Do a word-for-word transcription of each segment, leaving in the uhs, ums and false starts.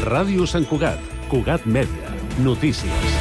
Ràdio Sant Cugat, Cugat Mèdia, notícies.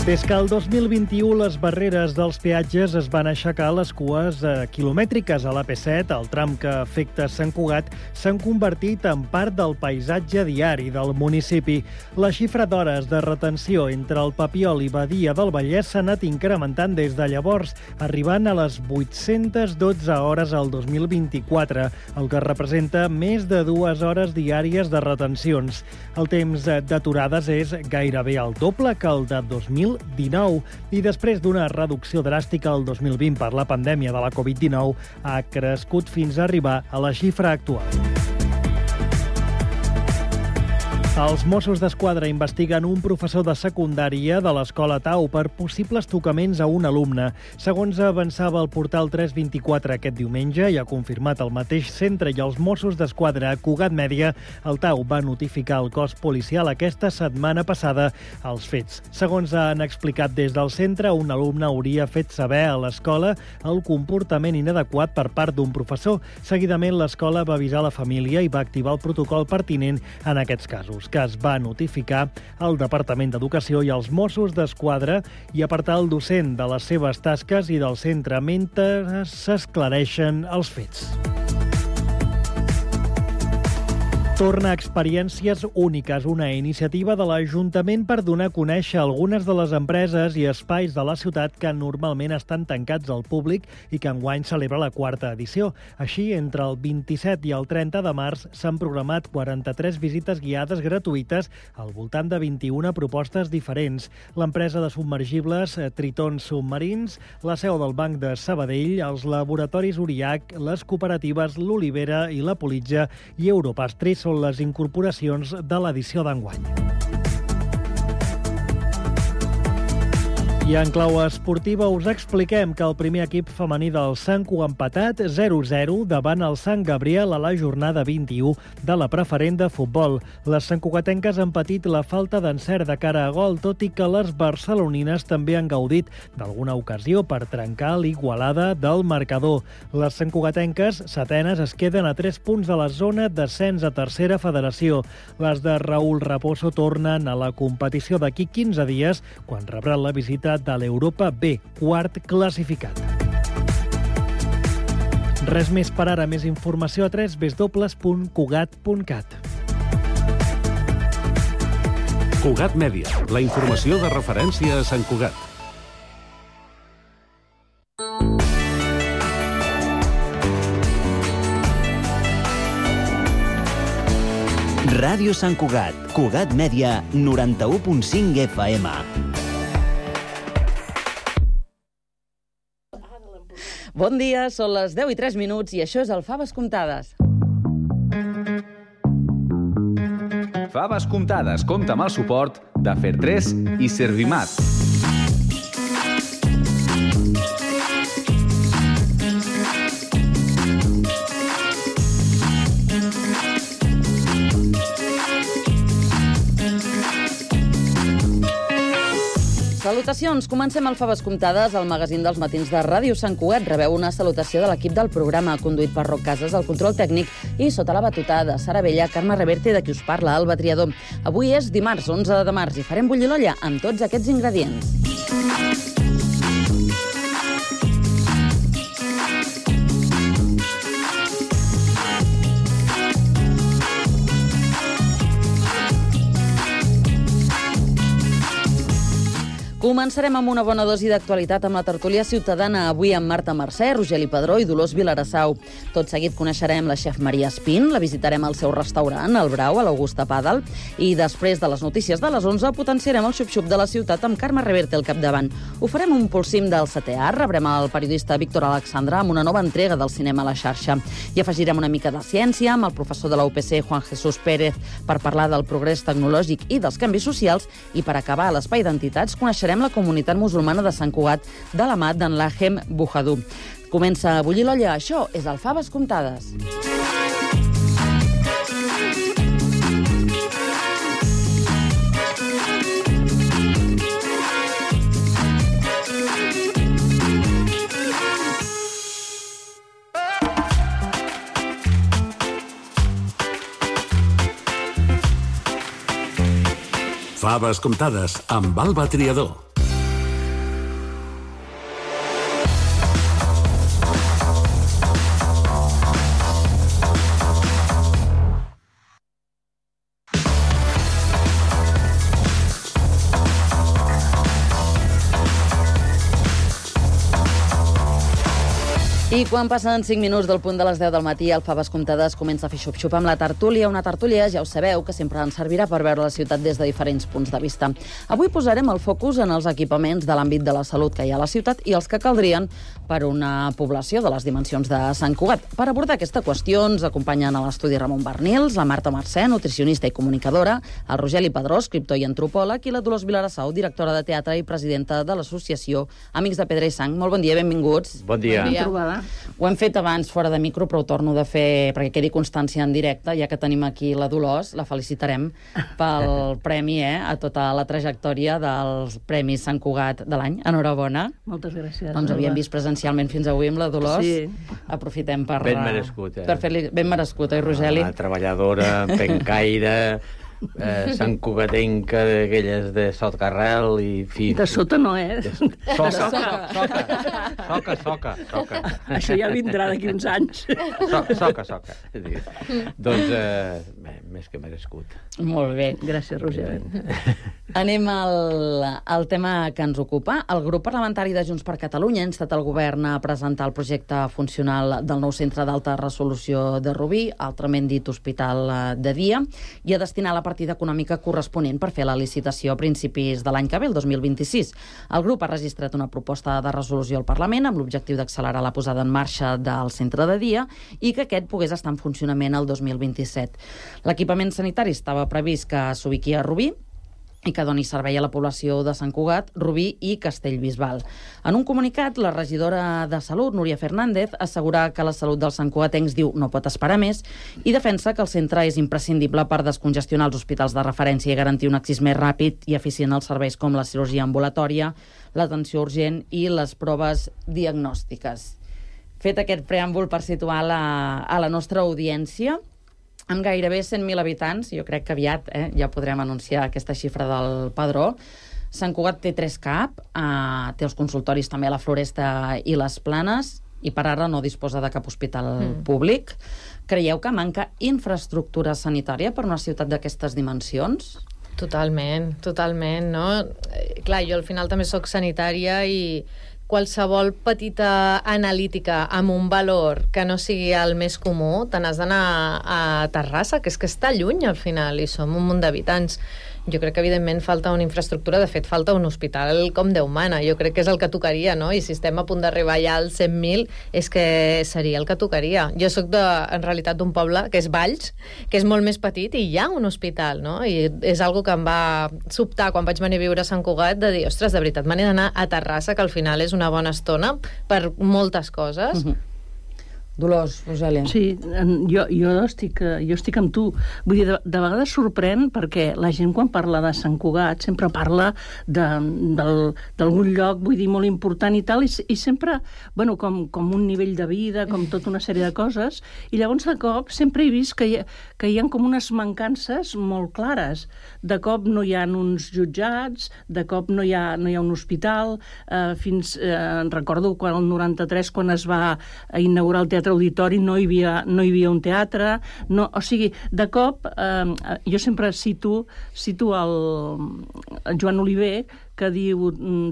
Des que el dos mil vint-i-u les barreres dels peatges es van aixecar, les cues eh, quilomètriques a l'A P set, el tram que afecta Sant Cugat, s'han convertit en part del paisatge diari del municipi. La xifra d'hores de retenció entre el Papiol i Badia del Vallès s'ha anat incrementant des de llavors, arribant a les vuit-centes dotze hores al dos mil vint-i-quatre, el que representa més de dues hores diàries de retencions. El temps d'aturades és gairebé el doble que el de dos mil dinou i després d'una reducció dràstica el dos mil vint per la pandèmia de la covid dinou ha crescut fins a arribar a la xifra actual. Els Mossos d'Esquadra investiguen un professor de secundària de l'Escola Tau per possibles tocaments a un alumne. Segons avançava el portal tres vint-i-quatre aquest diumenge i ha confirmat el mateix centre i els Mossos d'Esquadra a Cugat Mèdia, el Tau va notificar al cos policial aquesta setmana passada els fets. Segons han explicat des del centre, un alumne hauria fet saber a l'escola el comportament inadequat per part d'un professor. Seguidament, l'escola va avisar la família i va activar el protocol pertinent en aquests casos, que es va notificar al Departament d'Educació i als Mossos d'Esquadra i apartar el docent de les seves tasques i del centre mentre s'esclareixen els fets. Torna a Experiències Úniques, una iniciativa de l'Ajuntament per donar a conèixer algunes de les empreses i espais de la ciutat que normalment estan tancats al públic i que enguany celebra la quarta edició. Així, entre el vint-i-set i el trenta de març s'han programat quaranta-tres visites guiades gratuïtes al voltant de vint-i-una propostes diferents. L'empresa de submergibles Tritons Submarins, la seu del Banc de Sabadell, els laboratoris Uriac, les cooperatives L'Olivera i la Politja i Europastri són les incorporacions de l'edició d'enguany. I en clau esportiva us expliquem que el primer equip femení del Sanco ha empatat zero a zero davant el Sant Gabriel a la jornada vint-i-u de la preferent de futbol. Les santcugatenques han patit la falta d'encert de cara a gol, tot i que les barcelonines també han gaudit d'alguna ocasió per trencar l'igualada del marcador. Les santcugatenques, setenes, es queden a tres punts de la zona d'ascens a tercera federació. Les de Raúl Raposo tornen a la competició d'aquí quinze dies, quan rebran la visita de l'Europa B, quart classificat. Res més per ara, més informació a w w w punt cugat punt cat. Cugat Mèdia, la informació de referència a Sant Cugat. Ràdio Sant Cugat, Cugat Mèdia, noranta-u punt cinc F M. Bon dia, són les deu i tres minuts i això és el Faves Comptades. Faves Comptades compta amb el suport de Fertres i Servimat. Salutacions, comencem el Faves Comptades, el magazín dels matins de Ràdio Sant Cugat. Rebeu una salutació de l'equip del programa, conduït per Roc Casas, el control tècnic, i sota la batuta de Sara Bella, Carme Reverte, de qui us parla, Alba Triador. Avui és dimarts, onze de març, i farem bullir l'olla amb tots aquests ingredients. Començarem amb una bona dosi d'actualitat amb la tertúlia ciutadana, avui amb Marta Mercè, Rogeli Padró i Dolors Vilarassau. Tot seguit coneixerem la xef Maria Espín, la visitarem al seu restaurant, el Brau, a l'Augusta Pàdel, i després de les notícies de les onze potenciarem el xup-xup de la ciutat amb Carme Reverte al capdavant. Ho farem un pulsim del setè art, rebrem el periodista Víctor Alexandra amb una nova entrega del cinema a la xarxa. I afegirem una mica de ciència amb el professor de la U P C, Juan Jesús Pérez, per parlar del progrés tecnològic i dels canvis socials, i per acabar a l'espai d'entitats coneixerem la comunitat musulmana de Sant Cugat de la mà d'en Lahem Bujadú. Comença a bullir l'olla, això és el Faves Comptades. Faves comptades amb Alba Triador. I quan passen cinc minuts del punt de les deu del matí, el Faves Comptades comença a fer xup-xup amb la tertúlia. Una tertúlia, ja ho sabeu, que sempre ens servirà per veure la ciutat des de diferents punts de vista. Avui posarem el focus en els equipaments de l'àmbit de la salut que hi ha a la ciutat i els que caldrien per una població de les dimensions de Sant Cugat. Per abordar aquesta qüestió ens acompanyen a l'estudi Ramon Bernils, la Marta Mercè, nutricionista i comunicadora, el Rogeli Padró, escriptor i antropòleg, i la Dolors Vilarassau, directora de teatre i presidenta de l'associació Amics de Pedra i Sang. Molt bon dia, benvinguts. Bon dia. Bon dia. Ho hem fet abans fora de micro, però ho torno de fer perquè quedi constància en directe, ja que tenim aquí la Dolors, la felicitarem pel premi, eh, a tota la trajectòria dels Premis Sant Cugat de l'any. Enhorabona. Moltes gràcies. Doncs havíem vist presencialment fins avui amb la Dolors. Sí. Aprofitem per... Ben merescut, eh? Per fer-li ben merescut, oi, Rogeli? Una treballadora, pencaire, eh, santcugatenca, d'aquelles de Sotcarrel i... Fi, De sota no, eh? Soca, soca, soca, soca, soca, soca. Això ja vindrà d'aquí uns anys. So, soca, soca. Doncs, eh, bé, més que merescut. Molt bé. Gràcies, Roger. Anem al, al tema que ens ocupa. El grup parlamentari de Junts per Catalunya ha instat el govern a presentar el projecte funcional del nou centre d'alta resolució de Rubí, altrament dit hospital de dia, i a destinar la partida econòmica corresponent per fer la licitació a principis de l'any que ve, el dos mil vint-i-sis. El grup ha registrat una proposta de resolució al Parlament amb l'objectiu d'accelerar la posada en marxa del centre de dia i que aquest pogués estar en funcionament el dos mil vint-i-set. L'equipament sanitari estava previst que s'ubiqui a Rubí i que doni servei a la població de Sant Cugat, Rubí i Castellbisbal. En un comunicat, la regidora de Salut, Núria Fernández, assegura que la salut dels santcugatencs, diu, no pot esperar més, i defensa que el centre és imprescindible per descongestionar els hospitals de referència i garantir un accés més ràpid i eficient als serveis com la cirurgia ambulatòria, l'atenció urgent i les proves diagnòstiques. Fet aquest preàmbul per situar la, a la nostra audiència, amb gairebé cent mil habitants, jo crec que aviat eh, ja podrem anunciar aquesta xifra del padró. Sant Cugat té tres C A P, eh, té els consultoris també a la Floresta i les Planes, i per ara no disposa de cap hospital mm. públic. Creieu que manca infraestructura sanitària per una ciutat d'aquestes dimensions? Totalment, totalment, no? Clar, jo al final també sóc sanitària i qualsevol petita analítica amb un valor que no sigui el més comú, te n'has d'anar a Terrassa, que és que està lluny al final, i som un munt d'habitants. Jo crec que, evidentment, falta una infraestructura. De fet, falta un hospital com Déu mana. Jo crec que és el que tocaria, no? I si estem a punt d'arribar ja als cent mil, és que seria el que tocaria. Jo sóc, de, en realitat, d'un poble que és Valls, que és molt més petit, i hi ha un hospital, no? I és algo que em va sobtar quan vaig venir a viure a Sant Cugat, de dir, ostres, de veritat, m'he d'anar a Terrassa, que al final és una bona estona per moltes coses. Mm-hmm. Dolors, Rogèlia. Sí, jo, jo, estic, jo estic amb tu. Vull dir, de, de vegades sorprèn perquè la gent quan parla de Sant Cugat sempre parla d'algun lloc, vull dir, molt important i tal, i, i sempre, bueno, com, com un nivell de vida, com tota una sèrie de coses, i llavors de cop sempre he vist que hi, que hi ha com unes mancances molt clares. De cop no hi ha uns jutjats, de cop no hi ha, no hi ha un hospital, eh, fins, eh, recordo quan el noranta-tres, quan es va inaugurar el Teatre Auditori, no hi havia, no hi havia un teatre, no, o sigui, de cop, eh, jo sempre cito, cito el, el Joan Oliver, que diu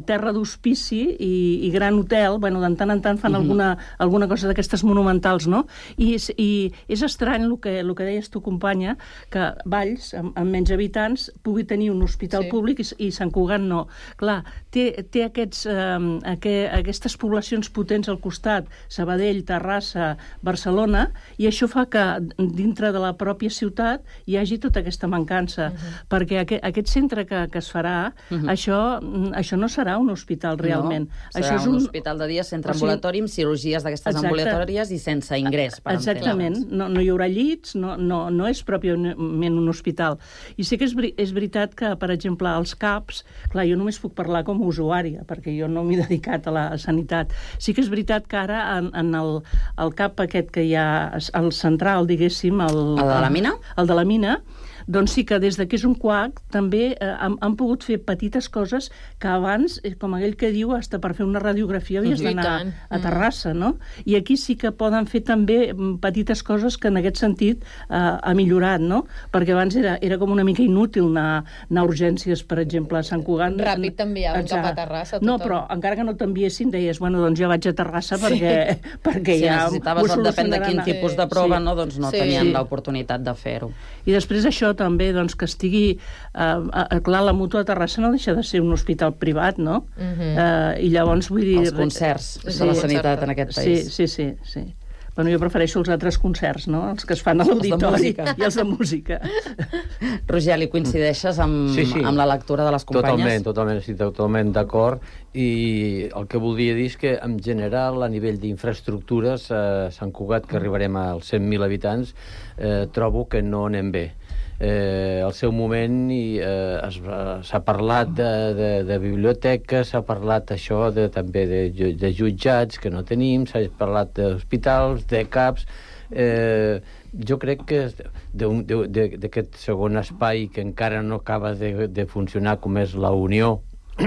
terra d'hospici i, i gran hotel, bueno, de tant en tant fan uh-huh. alguna, alguna cosa d'aquestes monumentals, no? I, i és estrany el que, el que deies tu, companya, que Valls, amb, amb menys habitants, pugui tenir un hospital sí. públic i, i Sant Cugat no. Clar, té, té aquests, eh, aquest, aquestes poblacions potents al costat, Sabadell, Terrassa, Barcelona, i això fa que dintre de la pròpia ciutat hi hagi tota aquesta mancança, uh-huh. perquè aquest, aquest centre que, que es farà, uh-huh. això això no serà un hospital realment. No, serà això és un, un hospital de dia, centre o sigui, ambulatori, amb cirurgies d'aquestes ambulatòries i sense ingrés. Per Exactament. No, no hi haurà llits, no, no, no és pròpiament un hospital. I sí que és, és veritat que, per exemple, els C A Ps, clar, jo només puc parlar com a usuària, perquè jo no m'he dedicat a la sanitat. Sí que és veritat que ara en, en el, el C A P aquest que hi ha, el central, diguéssim... El, el de la mina? El de la mina, doncs sí que des de que és un C U A C també eh, han, han pogut fer petites coses que abans, eh, com aquell que diu, hasta per fer una radiografia havies d'anar a Terrassa, no? I aquí sí que poden fer també petites coses que en aquest sentit eh, ha millorat, no? Perquè abans era, era com una mica inútil anar, anar a urgències, per exemple, a Sant Cugat. Ràpid t'enviaven cap a Terrassa. No, però encara que no t'enviessin, deies, bueno, doncs ja vaig a Terrassa perquè, sí. perquè si ja necessitaves, depèn de quin tipus de prova, sí. no, doncs no sí. tenien sí. l'oportunitat de fer-ho. I després això també, doncs, que estigui... Eh, clar, la Mútua de Terrassa no deixa de ser un hospital privat, no? Uh-huh. eh, I llavors, vull dir... Els concerts sí, de la sanitat en aquest país. Sí, sí, sí. sí. Bueno, jo prefereixo els altres concerts, no? Els que es fan a l'auditori i els de música. Rogeli, coincideixes amb, sí, sí. amb la lectura de les companyes? Totalment, totalment, sí, totalment d'acord. I el que voldria dir és que, en general, a nivell d'infraestructures, a Sant Cugat, que arribarem als cent mil habitants, eh, trobo que no anem bé. Eh, al seu moment eh, s'ha parlat de, de, de biblioteques, s'ha parlat això de, també de, de jutjats que no tenim, s'ha parlat d'hospitals, de CAPs. Eh, jo crec que d'aquest segon espai que encara no acaba de, de funcionar, com és la Unió,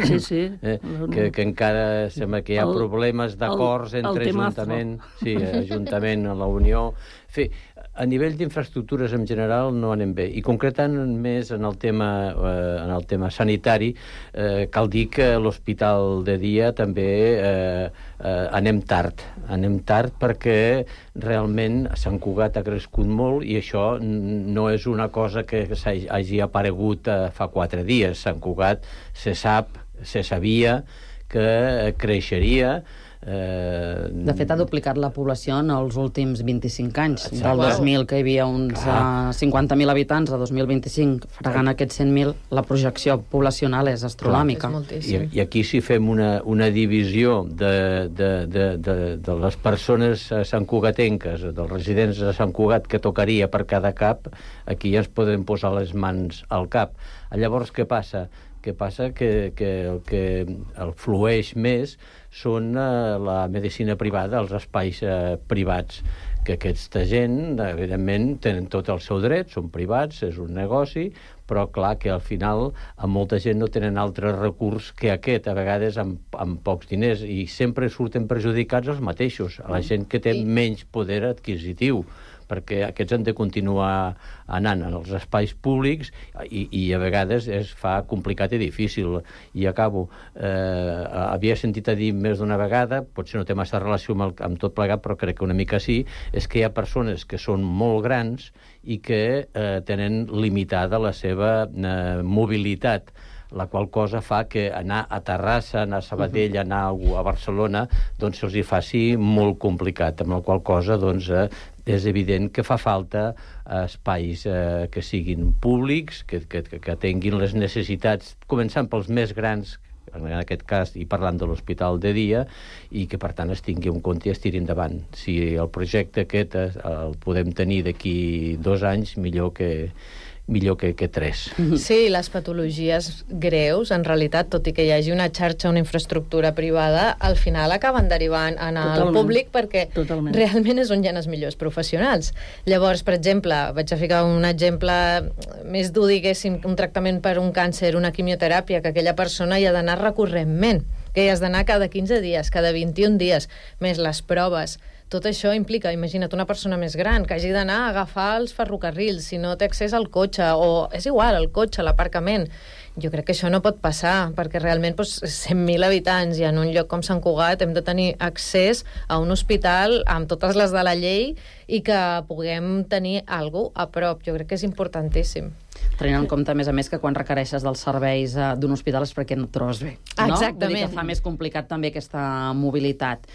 sí, sí. Eh, que, que encara sembla que hi ha el, problemes d'acords entre Ajuntament, sí, Ajuntament a la Unió. En fi, a nivell d'infraestructures en general no anem bé. I concretant més en el tema, eh, en el tema sanitari, eh, cal dir que l'hospital de dia també eh, eh, anem tard. Anem tard perquè realment Sant Cugat ha crescut molt i això no és una cosa que hagi aparegut eh, fa quatre dies. Sant Cugat se sap, se sabia que creixeria. Eh... De fet, ha duplicat la població en els últims vint-i-cinc anys. Exacte. Del dos mil, que hi havia uns uh, cinquanta mil habitants, a dos mil vint-i-cinc, fregant aquests cent mil, la projecció poblacional és astronòmica. I, I aquí si fem una, una divisió de, de, de, de, de les persones santcugatenques, dels residents de Sant Cugat que tocaria per cada cap, aquí ja ens podem posar les mans al cap. Llavors, què passa? Què passa? Que, que el que el flueix més són eh, la medicina privada, els espais eh, privats, que aquesta gent, evidentment, tenen tot el seu dret, són privats, és un negoci, però clar que al final a molta gent no tenen altre recurs que aquest, a vegades amb, amb pocs diners, i sempre surten perjudicats els mateixos, a la gent que té menys poder adquisitiu, perquè aquests han de continuar anant en els espais públics i, i a vegades es fa complicat i difícil. I acabo. Eh, havia sentit a dir més d'una vegada, potser no té massa relació amb, el, amb tot plegat, però crec que una mica sí, és que hi ha persones que són molt grans i que eh, tenen limitada la seva eh, mobilitat, la qual cosa fa que anar a Terrassa, anar a Sabadell, anar a Barcelona, doncs se'ls hi faci molt complicat, amb la qual cosa, doncs, eh, és evident que fa falta espais eh, que siguin públics, que, que, que tinguin les necessitats, començant pels més grans, en aquest cas, i parlant de l'hospital de dia, i que, per tant, es tingui en compte i es tiri endavant. Si el projecte aquest el podem tenir d'aquí dos anys, millor que millor que, que tres. Sí, les patologies greus, en realitat, tot i que hi hagi una xarxa, una infraestructura privada, al final acaben derivant en el Totalment. Públic perquè Totalment. Realment és on hi ha els millors professionals. Llavors, per exemple, vaig a ficar un exemple més dur, diguéssim, un tractament per un càncer, una quimioteràpia, que aquella persona hi ha d'anar recurrentment, que hi has d'anar cada quinze dies, cada vint-i-un dies, més les proves. Tot això implica, imagina't, una persona més gran que hagi d'anar a agafar els ferrocarrils, si no té accés al cotxe, o és igual, el cotxe, l'aparcament. Jo crec que això no pot passar, perquè realment doncs, cent mil habitants i en un lloc com Sant Cugat hem de tenir accés a un hospital amb totes les de la llei i que puguem tenir algú a prop. Jo crec que és importantíssim. Tenint en compte, a més a més, que quan requereixes dels serveis uh, d'un hospital és perquè no et trobes bé. No? Exactament. Vull dir que fa més complicat també aquesta mobilitat.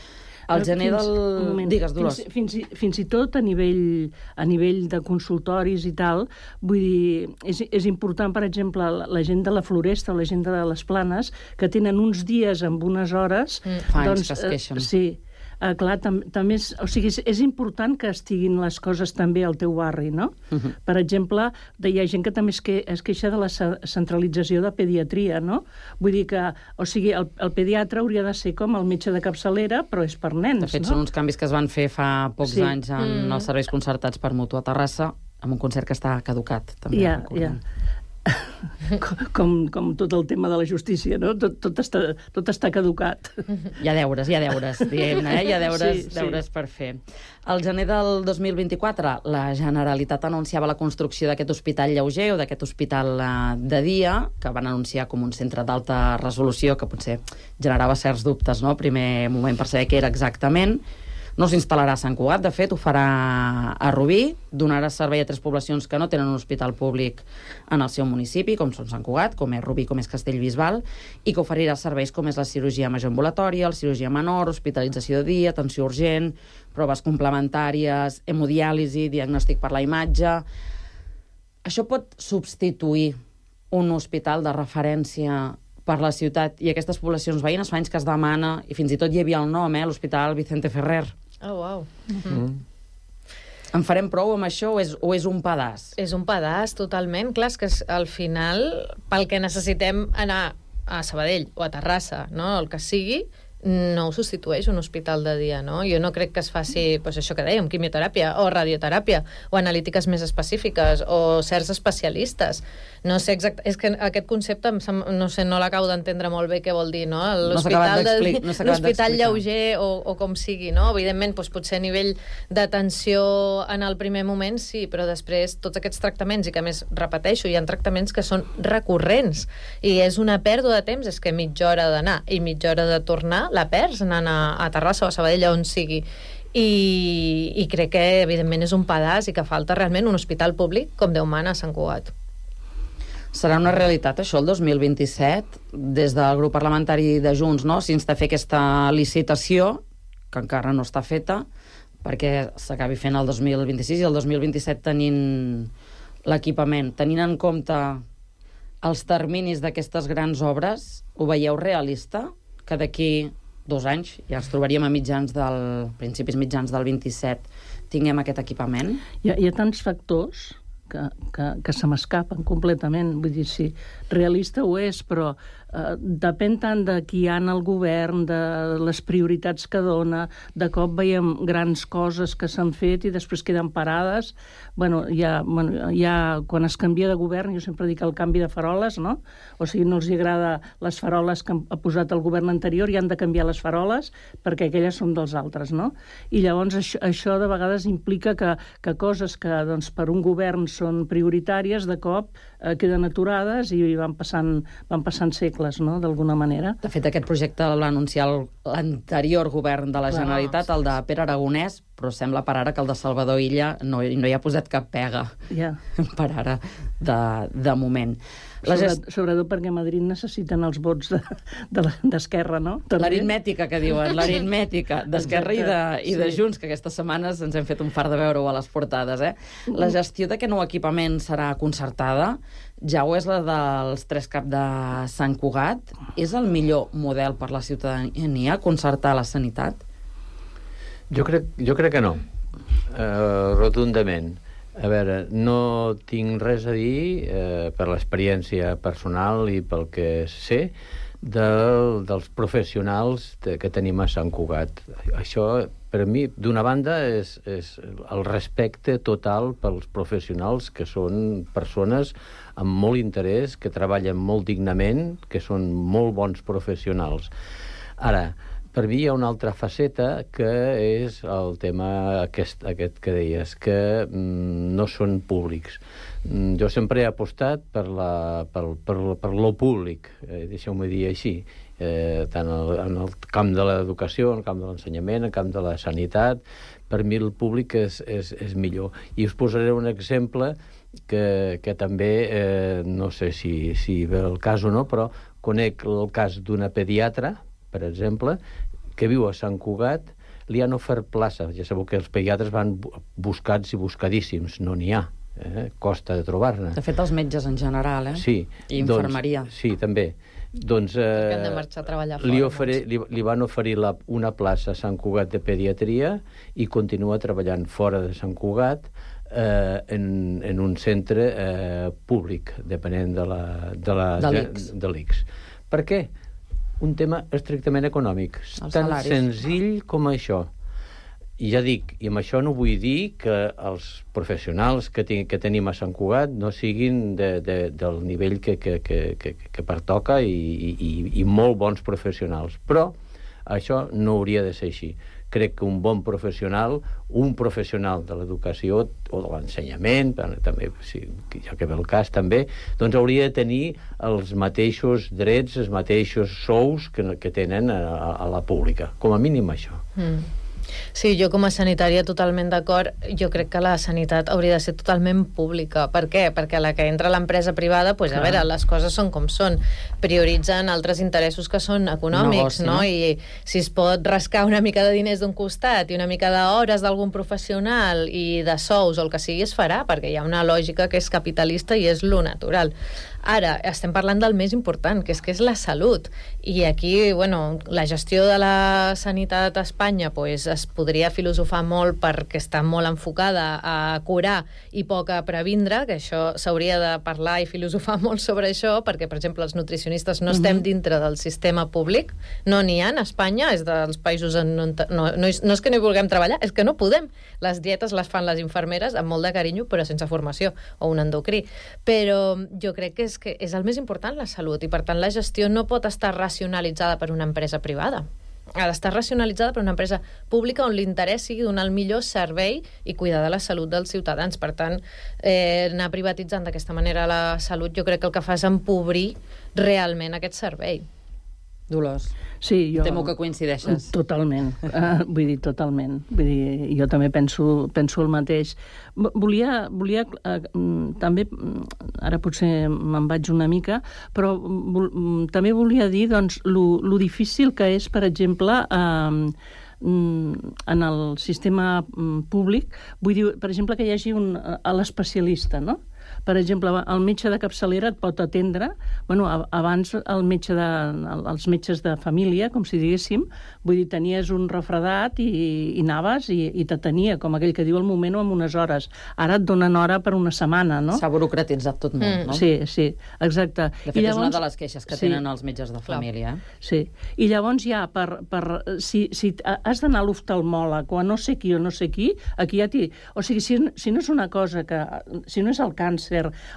El gener del... Moment, Digues, Dolors. Fins, fins, i, fins i tot a nivell, a nivell de consultoris i tal, vull dir, és, és important, per exemple, la, la gent de la Floresta o la gent de les Planes, que tenen uns dies amb unes hores... Mm. Fa anys doncs, que es queixen. Eh, sí. Uh, clar, tam també és, o sigui, és, és important que estiguin les coses també al teu barri, no? Uh -huh. Per exemple, hi ha gent que també es, que, es queixa de la centralització de pediatria, no? Vull dir que, o sigui, el, el pediatre hauria de ser com el metge de capçalera, però és per nens, no? De fet, no? Són uns canvis que es van fer fa pocs sí. anys en mm. els serveis concertats per Mútua Terrassa, amb un concert que està caducat, també. Ja, ja. Com, com tot el tema de la justícia, no? Tot, tot, està, tot està caducat. Hi ha deures, hi ha deures, diguem-ne, eh? Hi ha deures, sí, deures sí. per fer. Al gener del dos mil vint-i-quatre, la Generalitat anunciava la construcció d'aquest hospital lleuger o d'aquest hospital eh, de dia, que van anunciar com un centre d'alta resolució, que potser generava certs dubtes, no?, primer moment per saber què era exactament. No s'instal·larà a Sant Cugat, de fet, ho farà a Rubí, donarà servei a tres poblacions que no tenen un hospital públic en el seu municipi, com són Sant Cugat, com és Rubí, com és Castellbisbal, i que oferirà serveis com és la cirurgia major ambulatòria, la cirurgia menor, hospitalització de dia, atenció urgent, proves complementàries, hemodiàlisi, diagnòstic per la imatge. Això pot substituir un hospital de referència per la ciutat i aquestes poblacions veïnes? Fa anys que es demana, i fins i tot hi havia el nom, eh, l'Hospital Vicente Ferrer. Oh, wow. Mm. En farem prou amb això o és, o és un pedaç? És un pedaç, totalment. Clar, és que al final, pel que necessitem anar a Sabadell o a Terrassa, no?, el que sigui, no ho substitueix un hospital de dia, no? Jo no crec que es faci, doncs això que dèiem, quimioteràpia o radioteràpia, o analítiques més específiques, o certs especialistes. No sé exacte... És que aquest concepte, no sé, no l'acabo d'entendre molt bé què vol dir, no? L'hospital de... no l'hospital lleuger o, o com sigui, no? Evidentment, doncs, potser a nivell d'atenció en el primer moment, sí, però després tots aquests tractaments, i que a més, repeteixo, hi ha tractaments que són recurrents, i és una pèrdua de temps, és que mitja hora d'anar i mitja hora de tornar la perds anant a, a Terrassa o a Sabadell, on sigui. I, i crec que, evidentment, és un pedaç i que falta realment un hospital públic com Déu mana a Sant Cugat. Serà una realitat, això, el dos mil vint-i-set, des del grup parlamentari de Junts, no?, s'insta a fer aquesta licitació, que encara no està feta, perquè s'acabi fent el dos mil vint-i-sis i el dos mil vint-i-set tenint l'equipament. Tenint en compte els terminis d'aquestes grans obres, ho veieu realista? Que d'aquí dos anys, ja ens trobaríem a mitjans del, principis mitjans del vint-i-set, tinguem aquest equipament? Hi ha, hi ha tants factors que, que, que se m'escapen completament. Vull dir, sí, realista ho és, però eh, depèn tant de qui hi ha en el govern, de les prioritats que dona, de cop veiem grans coses que s'han fet i després queden parades. Bueno, ja, bueno, ja quan es canvia de govern, jo sempre dic el canvi de faroles, no? O sigui, no els agrada les faroles que ha posat el govern anterior i han de canviar les faroles perquè aquelles són dels altres, no? I llavors això, això de vegades implica que, que coses que doncs, per un govern són prioritàries, de cop eh, queden aturades i van passant, van passant segles, no?, d'alguna manera. De fet, aquest projecte l'ha anunciat l'anterior govern de la Clar, Generalitat, el de Pere Aragonès, però sembla per ara que el de Salvador Illa no, no hi ha posat cap pega, ja. per ara, de, de moment. La Sobre, gest... Sobretot perquè a Madrid necessiten els vots d'Esquerra, de, de no? L'aritmètica, que diuen, l'aritmètica d'Esquerra i, de, i de sí. Junts, que aquestes setmanes ens hem fet un fart de veure-ho a les portades. Eh? La gestió d'aquest nou equipament serà concertada, ja ho és la dels tres cap de Sant Cugat. És el millor model per la ciutadania concertar la sanitat? Jo crec, jo crec que no, uh, rotundament. A veure, no tinc res a dir, eh, per l'experiència personal i pel que sé, del, dels professionals de, que tenim a Sant Cugat. Això, per mi, d'una banda, és, és el respecte total pels professionals, que són persones amb molt interès, que treballen molt dignament, que són molt bons professionals. Ara, per mi hi ha una altra faceta, que és el tema aquest, aquest que deies, que mm, no són públics. Mm, jo sempre he apostat per, la, per, per, per lo públic, eh, deixeu-me dir així, eh, tant el, en el camp de l'educació, en el camp de l'ensenyament, en el camp de la sanitat. Per mi el públic és, és, és millor. I us posaré un exemple que, que també, eh, no sé si, si ve el cas o no, però conec el cas d'una pediatra, per exemple, que viu a Sant Cugat, li han ofert plaça. Ja sabeu que els pediatres van buscats i buscadíssims, no n'hi ha, eh? Costa de trobar-ne. De fet, els metges en general, eh? Sí. I infermeria. Doncs, sí, també. Doncs, eh, que han de marxar a treballar fora. Li, ofere, li, li van oferir la, una plaça a Sant Cugat de pediatria i continua treballant fora de Sant Cugat, eh, en, en un centre eh, públic, depenent de la, de la, de l'I C S. Per què? Un tema estrictament econòmic, Els tan salaris. senzill com això. I ja dic, i amb això no vull dir que els professionals que, ten, que tenim a Sant Cugat no siguin de, de, del nivell que, que, que, que, que pertoca i, i, i molt bons professionals. Però això no hauria de ser així. Crec que un bon professional, un professional de l'educació o de l'ensenyament, també, si, ja que ve el cas també, doncs hauria de tenir els mateixos drets, els mateixos sous que, que tenen a, a la pública. Com a mínim això. Mm. Sí, jo com a sanitària totalment d'acord. Jo crec que la sanitat hauria de ser totalment pública. Per què? Perquè a la que entra l'empresa privada, pues, a veure, les coses són com són. Prioritzen altres interessos que són econòmics, negoci, no? I si es pot rascar una mica de diners d'un costat i una mica d'hores d'algun professional i de sous o el que sigui, es farà, perquè hi ha una lògica que és capitalista i és lo natural. Ara, estem parlant del més important, que és que és la salut. I aquí, bueno, la gestió de la sanitat a Espanya pues, es podria filosofar molt perquè està molt enfocada a curar i poc a previndre, que això s'hauria de parlar i filosofar molt sobre això, perquè, per exemple, els nutricionistes no estem dintre del sistema públic, no n'hi ha a Espanya, és dels països en on... No, no, és, no és que no hi vulguem treballar, és que no podem. Les dietes les fan les infermeres amb molt de carinyo, però sense formació, o un endocrí. Però jo crec que és que és el més important, la salut, i per tant la gestió no pot estar racionalitzada per una empresa privada. Ha d'estar racionalitzada per una empresa pública on l'interès sigui donar el millor servei i cuidar de la salut dels ciutadans. Per tant, eh, anar privatitzant d'aquesta manera la salut jo crec que el que fa és empobrir realment aquest servei. Dolors, sí, jo... temo que coincideixes. Totalment, uh, vull dir, totalment. Vull dir, jo també penso, penso el mateix. Volia, volia uh, també, ara potser me'n vaig una mica, però vol, també volia dir, doncs, lo, lo difícil que és, per exemple, uh, en el sistema públic, vull dir, per exemple, que hi hagi un, a l'especialista, no? Per exemple, el metge de capçalera et pot atendre, bueno, abans el metge de, els metges de família, com si diguéssim, vull dir, tenies un refredat i, i anaves i, i t'atenia, com aquell que diu al moment o en unes hores. Ara et donen hora per una setmana, no? S'ha burocratitzat tot molt, mm. no? Sí, sí, exacte. De fet, I llavors, és una de les queixes que sí, tenen els metges de família. Sí, i llavors ja, per, per, si, si has d'anar a l'oftalmòleg o a no sé qui o no sé qui, aquí ja t'hi... O sigui, si, si no és una cosa que... Si no és el càncer,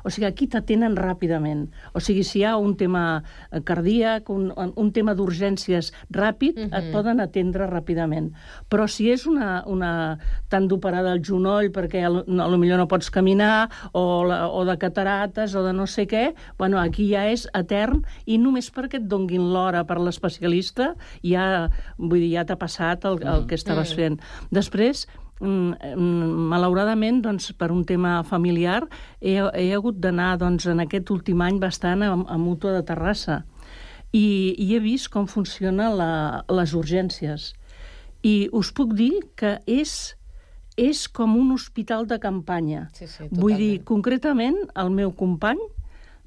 o sigui, aquí t'atenen ràpidament. O sigui, si hi ha un tema cardíac, un, un tema d'urgències ràpid, mm-hmm. et poden atendre ràpidament. Però si és una... una t'han d'operar del genoll perquè a lo millor no pots caminar, o, la, o de catarates, o de no sé què, bueno, aquí ja és etern, i només perquè et donguin l'hora per l'especialista, ja, vull dir, ja t'ha passat el, el que estaves fent. Després, malauradament, doncs, per un tema familiar, he, he hagut d'anar, doncs, en aquest últim any bastant a, a Mútua de Terrassa i, i he vist com funciona la, les urgències. I us puc dir que és, és com un hospital de campanya. Sí, sí, Vull dir, concretament, el meu company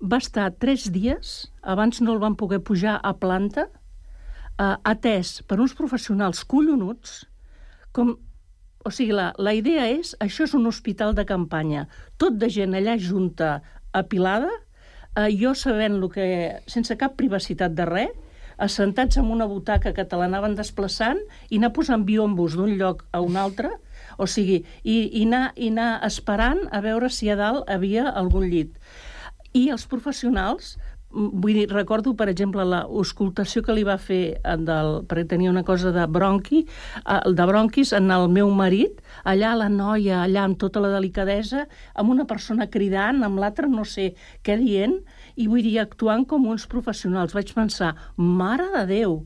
va estar tres dies, abans no el van poder pujar a planta, eh, atès per uns professionals collonuts, com... O sigui, la, la idea és, això és un hospital de campanya, tot de gent allà junta, apilada, eh, jo sabent lo que, sense cap privacitat de res, assentats en una butaca que te l'anaven desplaçant i anar posant biombos d'un lloc a un altre, o sigui, i, i, anar, i anar esperant a veure si a dalt havia algun llit. I els professionals... Vull dir, recordo, per exemple, l'auscultació que li va fer del, perquè tenia una cosa de bronqui, de bronquis en el meu marit, allà la noia, allà amb tota la delicadesa, amb una persona cridant, amb l'altra no sé què dient, i vull dir, actuant com uns professionals. Vaig pensar, mare de Déu,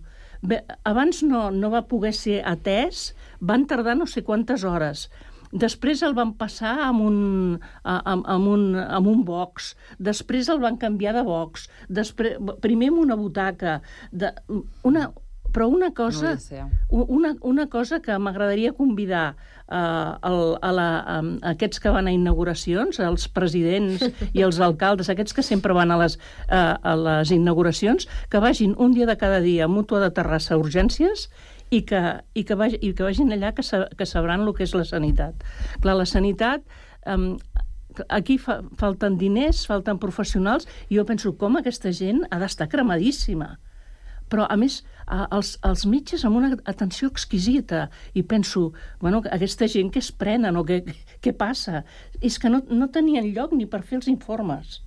bé, abans no, no va poder ser atès, van tardar no sé quantes hores. Després el van passar amb un, amb, amb un, amb un box, després el van canviar de box, després, primer amb una butaca, de, una, però una cosa, una, una cosa que m'agradaria convidar uh, el, a, la, a, a aquests que van a inauguracions, els presidents i els alcaldes, aquests que sempre van a les, uh, a les inauguracions, que vagin un dia de cada dia a Mútua de Terrassa a urgències i que, i que, vagi, i que vagin allà que, sa, que sabran el que és la sanitat. Clar, la sanitat, um, aquí fa, falten diners, falten professionals, i jo penso com aquesta gent ha d'estar cremadíssima. Però, a més, els, els metges amb una atenció exquisita, i penso, bueno, aquesta gent què es prenen o què, què passa? És que no, no tenien lloc ni per fer els informes.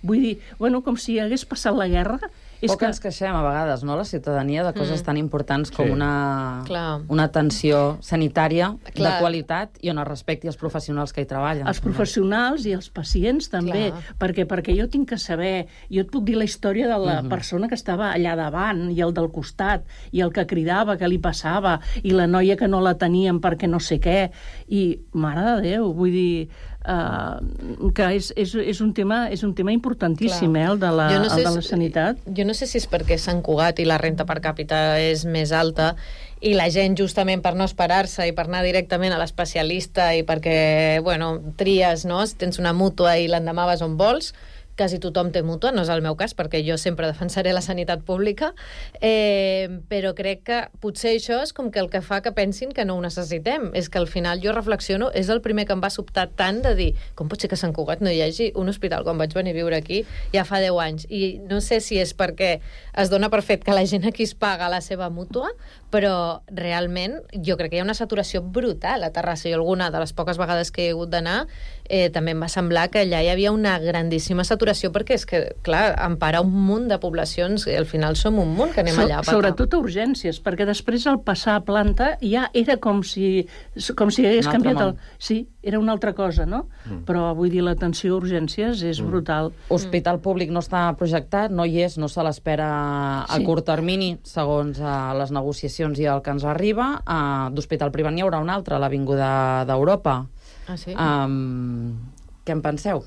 Vull dir, bueno, com si hagués passat la guerra. És Poc que ens queixem a vegades, no?, la ciutadania, de coses mm. tan importants com Sí. una, Clar. una atenció sanitària Clar. de qualitat i on es respecti els professionals que hi treballen. els professionals i els pacients també, Clar. perquè, perquè jo tinc que saber, jo et puc dir la història de la Mhm. persona que estava allà davant i el del costat, i el que cridava, que li passava, i la noia que no la tenien perquè no sé què, i mare de Déu, vull dir uh, que és, és, és, un tema, és un tema importantíssim, Clar. eh, el de la, Jo no sé el de la si- sanitat. Jo no sé si és perquè Sant Cugat i la renta per càpita és més alta i la gent, justament per no esperar-se i per anar directament a l'especialista i perquè, bueno, tries, no?, si tens una mútua i l'endemà vas on vols, quasi tothom té mútua, no és el meu cas, perquè jo sempre defensaré la sanitat pública, eh, però crec que potser això és com que el que fa que pensin que no ho necessitem. És que al final jo reflexiono, és el primer que em va sobtar tant de dir, com pot ser que a Sant Cugat no hi hagi un hospital quan vaig venir a viure aquí ja fa deu anys? I no sé si és perquè es dona per fet que la gent aquí es paga la seva mútua, però realment jo crec que hi ha una saturació brutal a Terrassa, i alguna de les poques vegades que he hagut d'anar eh, també em va semblar que allà hi havia una grandíssima saturació, perquè és que, clar, empara un munt de poblacions, i al final som un munt que anem So, allà a petar. sobretot a urgències, perquè després al passar a planta ja era com si, com si hagués Un altre canviat el... món. Sí, era una altra cosa, no? Mm. Però vull dir, l'atenció a urgències és mm. brutal. Hospital públic no està projectat, no hi és, no se l'espera a Sí. curt termini, segons uh, les negociacions i el que ens arriba. Uh, D'hospital privat n'hi haurà un altre, a l'Avinguda d'Europa. Ah, sí? Um, què en penseu?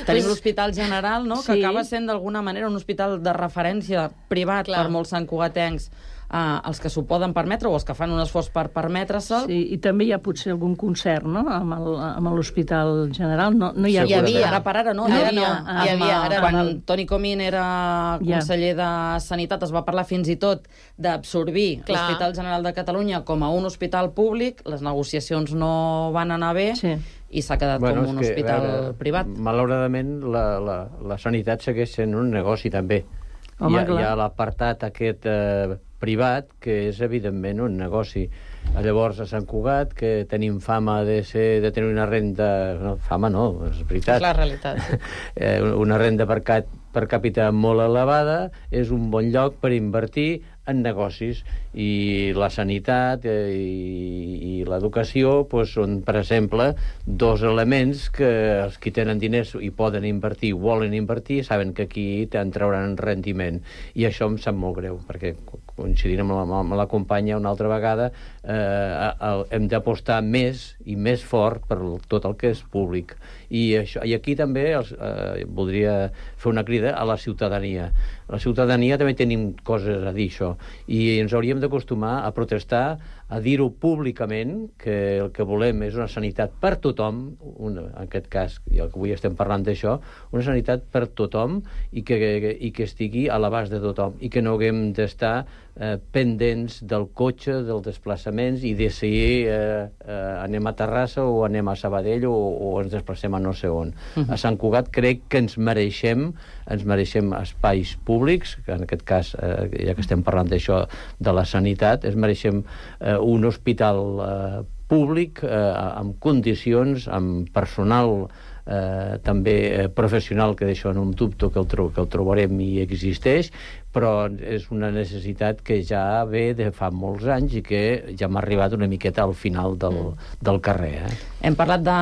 Tenim l'Hospital General, no?, que Sí. acaba sent d'alguna manera un hospital de referència privat Clar. per molts santcugatencs, uh, els que s'ho poden permetre o els que fan un esforç per permetre-se'l. Sí, i també hi ha potser algun concert, no?, amb el- amb l'Hospital General. No, no hi ha... Hi havia. Ara per ara no. Hi ara havia, no. hi Amb, havia, eh, ara quan no. Toni Comín era Ja. conseller de Sanitat es va parlar fins i tot d'absorbir Clar. l'Hospital General de Catalunya com a un hospital públic. Les negociacions no van anar bé Sí. i s'ha quedat Bueno, com és un que, a hospital veure, privat. Malauradament, la, la, la sanitat segueix sent un negoci, també. Home, hi ha, clar. hi ha l'apartat aquest eh, privat, que és, evidentment, un negoci. Llavors, a Sant Cugat, que tenim fama de, ser, de tenir una renda... No, fama no, és veritat. És la realitat. eh, una renda per, cap, per càpita molt elevada, és un bon lloc per invertir en negocis, i la sanitat eh, i, i l'educació pues, són, per exemple, dos elements que els que tenen diners i poden invertir, volen invertir, saben que aquí en trauran rendiment, i això em sap molt greu, perquè coincidint amb la, amb la companya una altra vegada, eh, el, hem d'apostar més i més fort per tot el que és públic, i, això, i aquí també els, eh, voldria fer una crida a la ciutadania. La ciutadania també tenim coses a dir, això, i ens hauríem d'acostumar a protestar, a dir-ho públicament, que el que volem és una sanitat per tothom, una, en aquest cas, i avui estem parlant d'això, una sanitat per tothom, i que, que, i que estigui a l'abast de tothom, i que no haguem d'estar eh, pendents del cotxe, dels desplaçaments, i de si eh, eh, anem a Terrassa o anem a Sabadell o, o ens desplacem a no sé on. Uh -huh. A Sant Cugat crec que ens mereixem, ens mereixem espais públics, que en aquest cas, eh, ja que estem parlant d'això, de la sanitat, ens mereixem eh, un hospital eh, públic eh, amb condicions, amb personal eh, també eh, professional, que d'això no em dubto que el, tro que el trobarem i existeix, però és una necessitat que ja ve de fa molts anys i que ja m'ha arribat una miqueta al final del, mm. del carrer. Eh? Hem parlat de,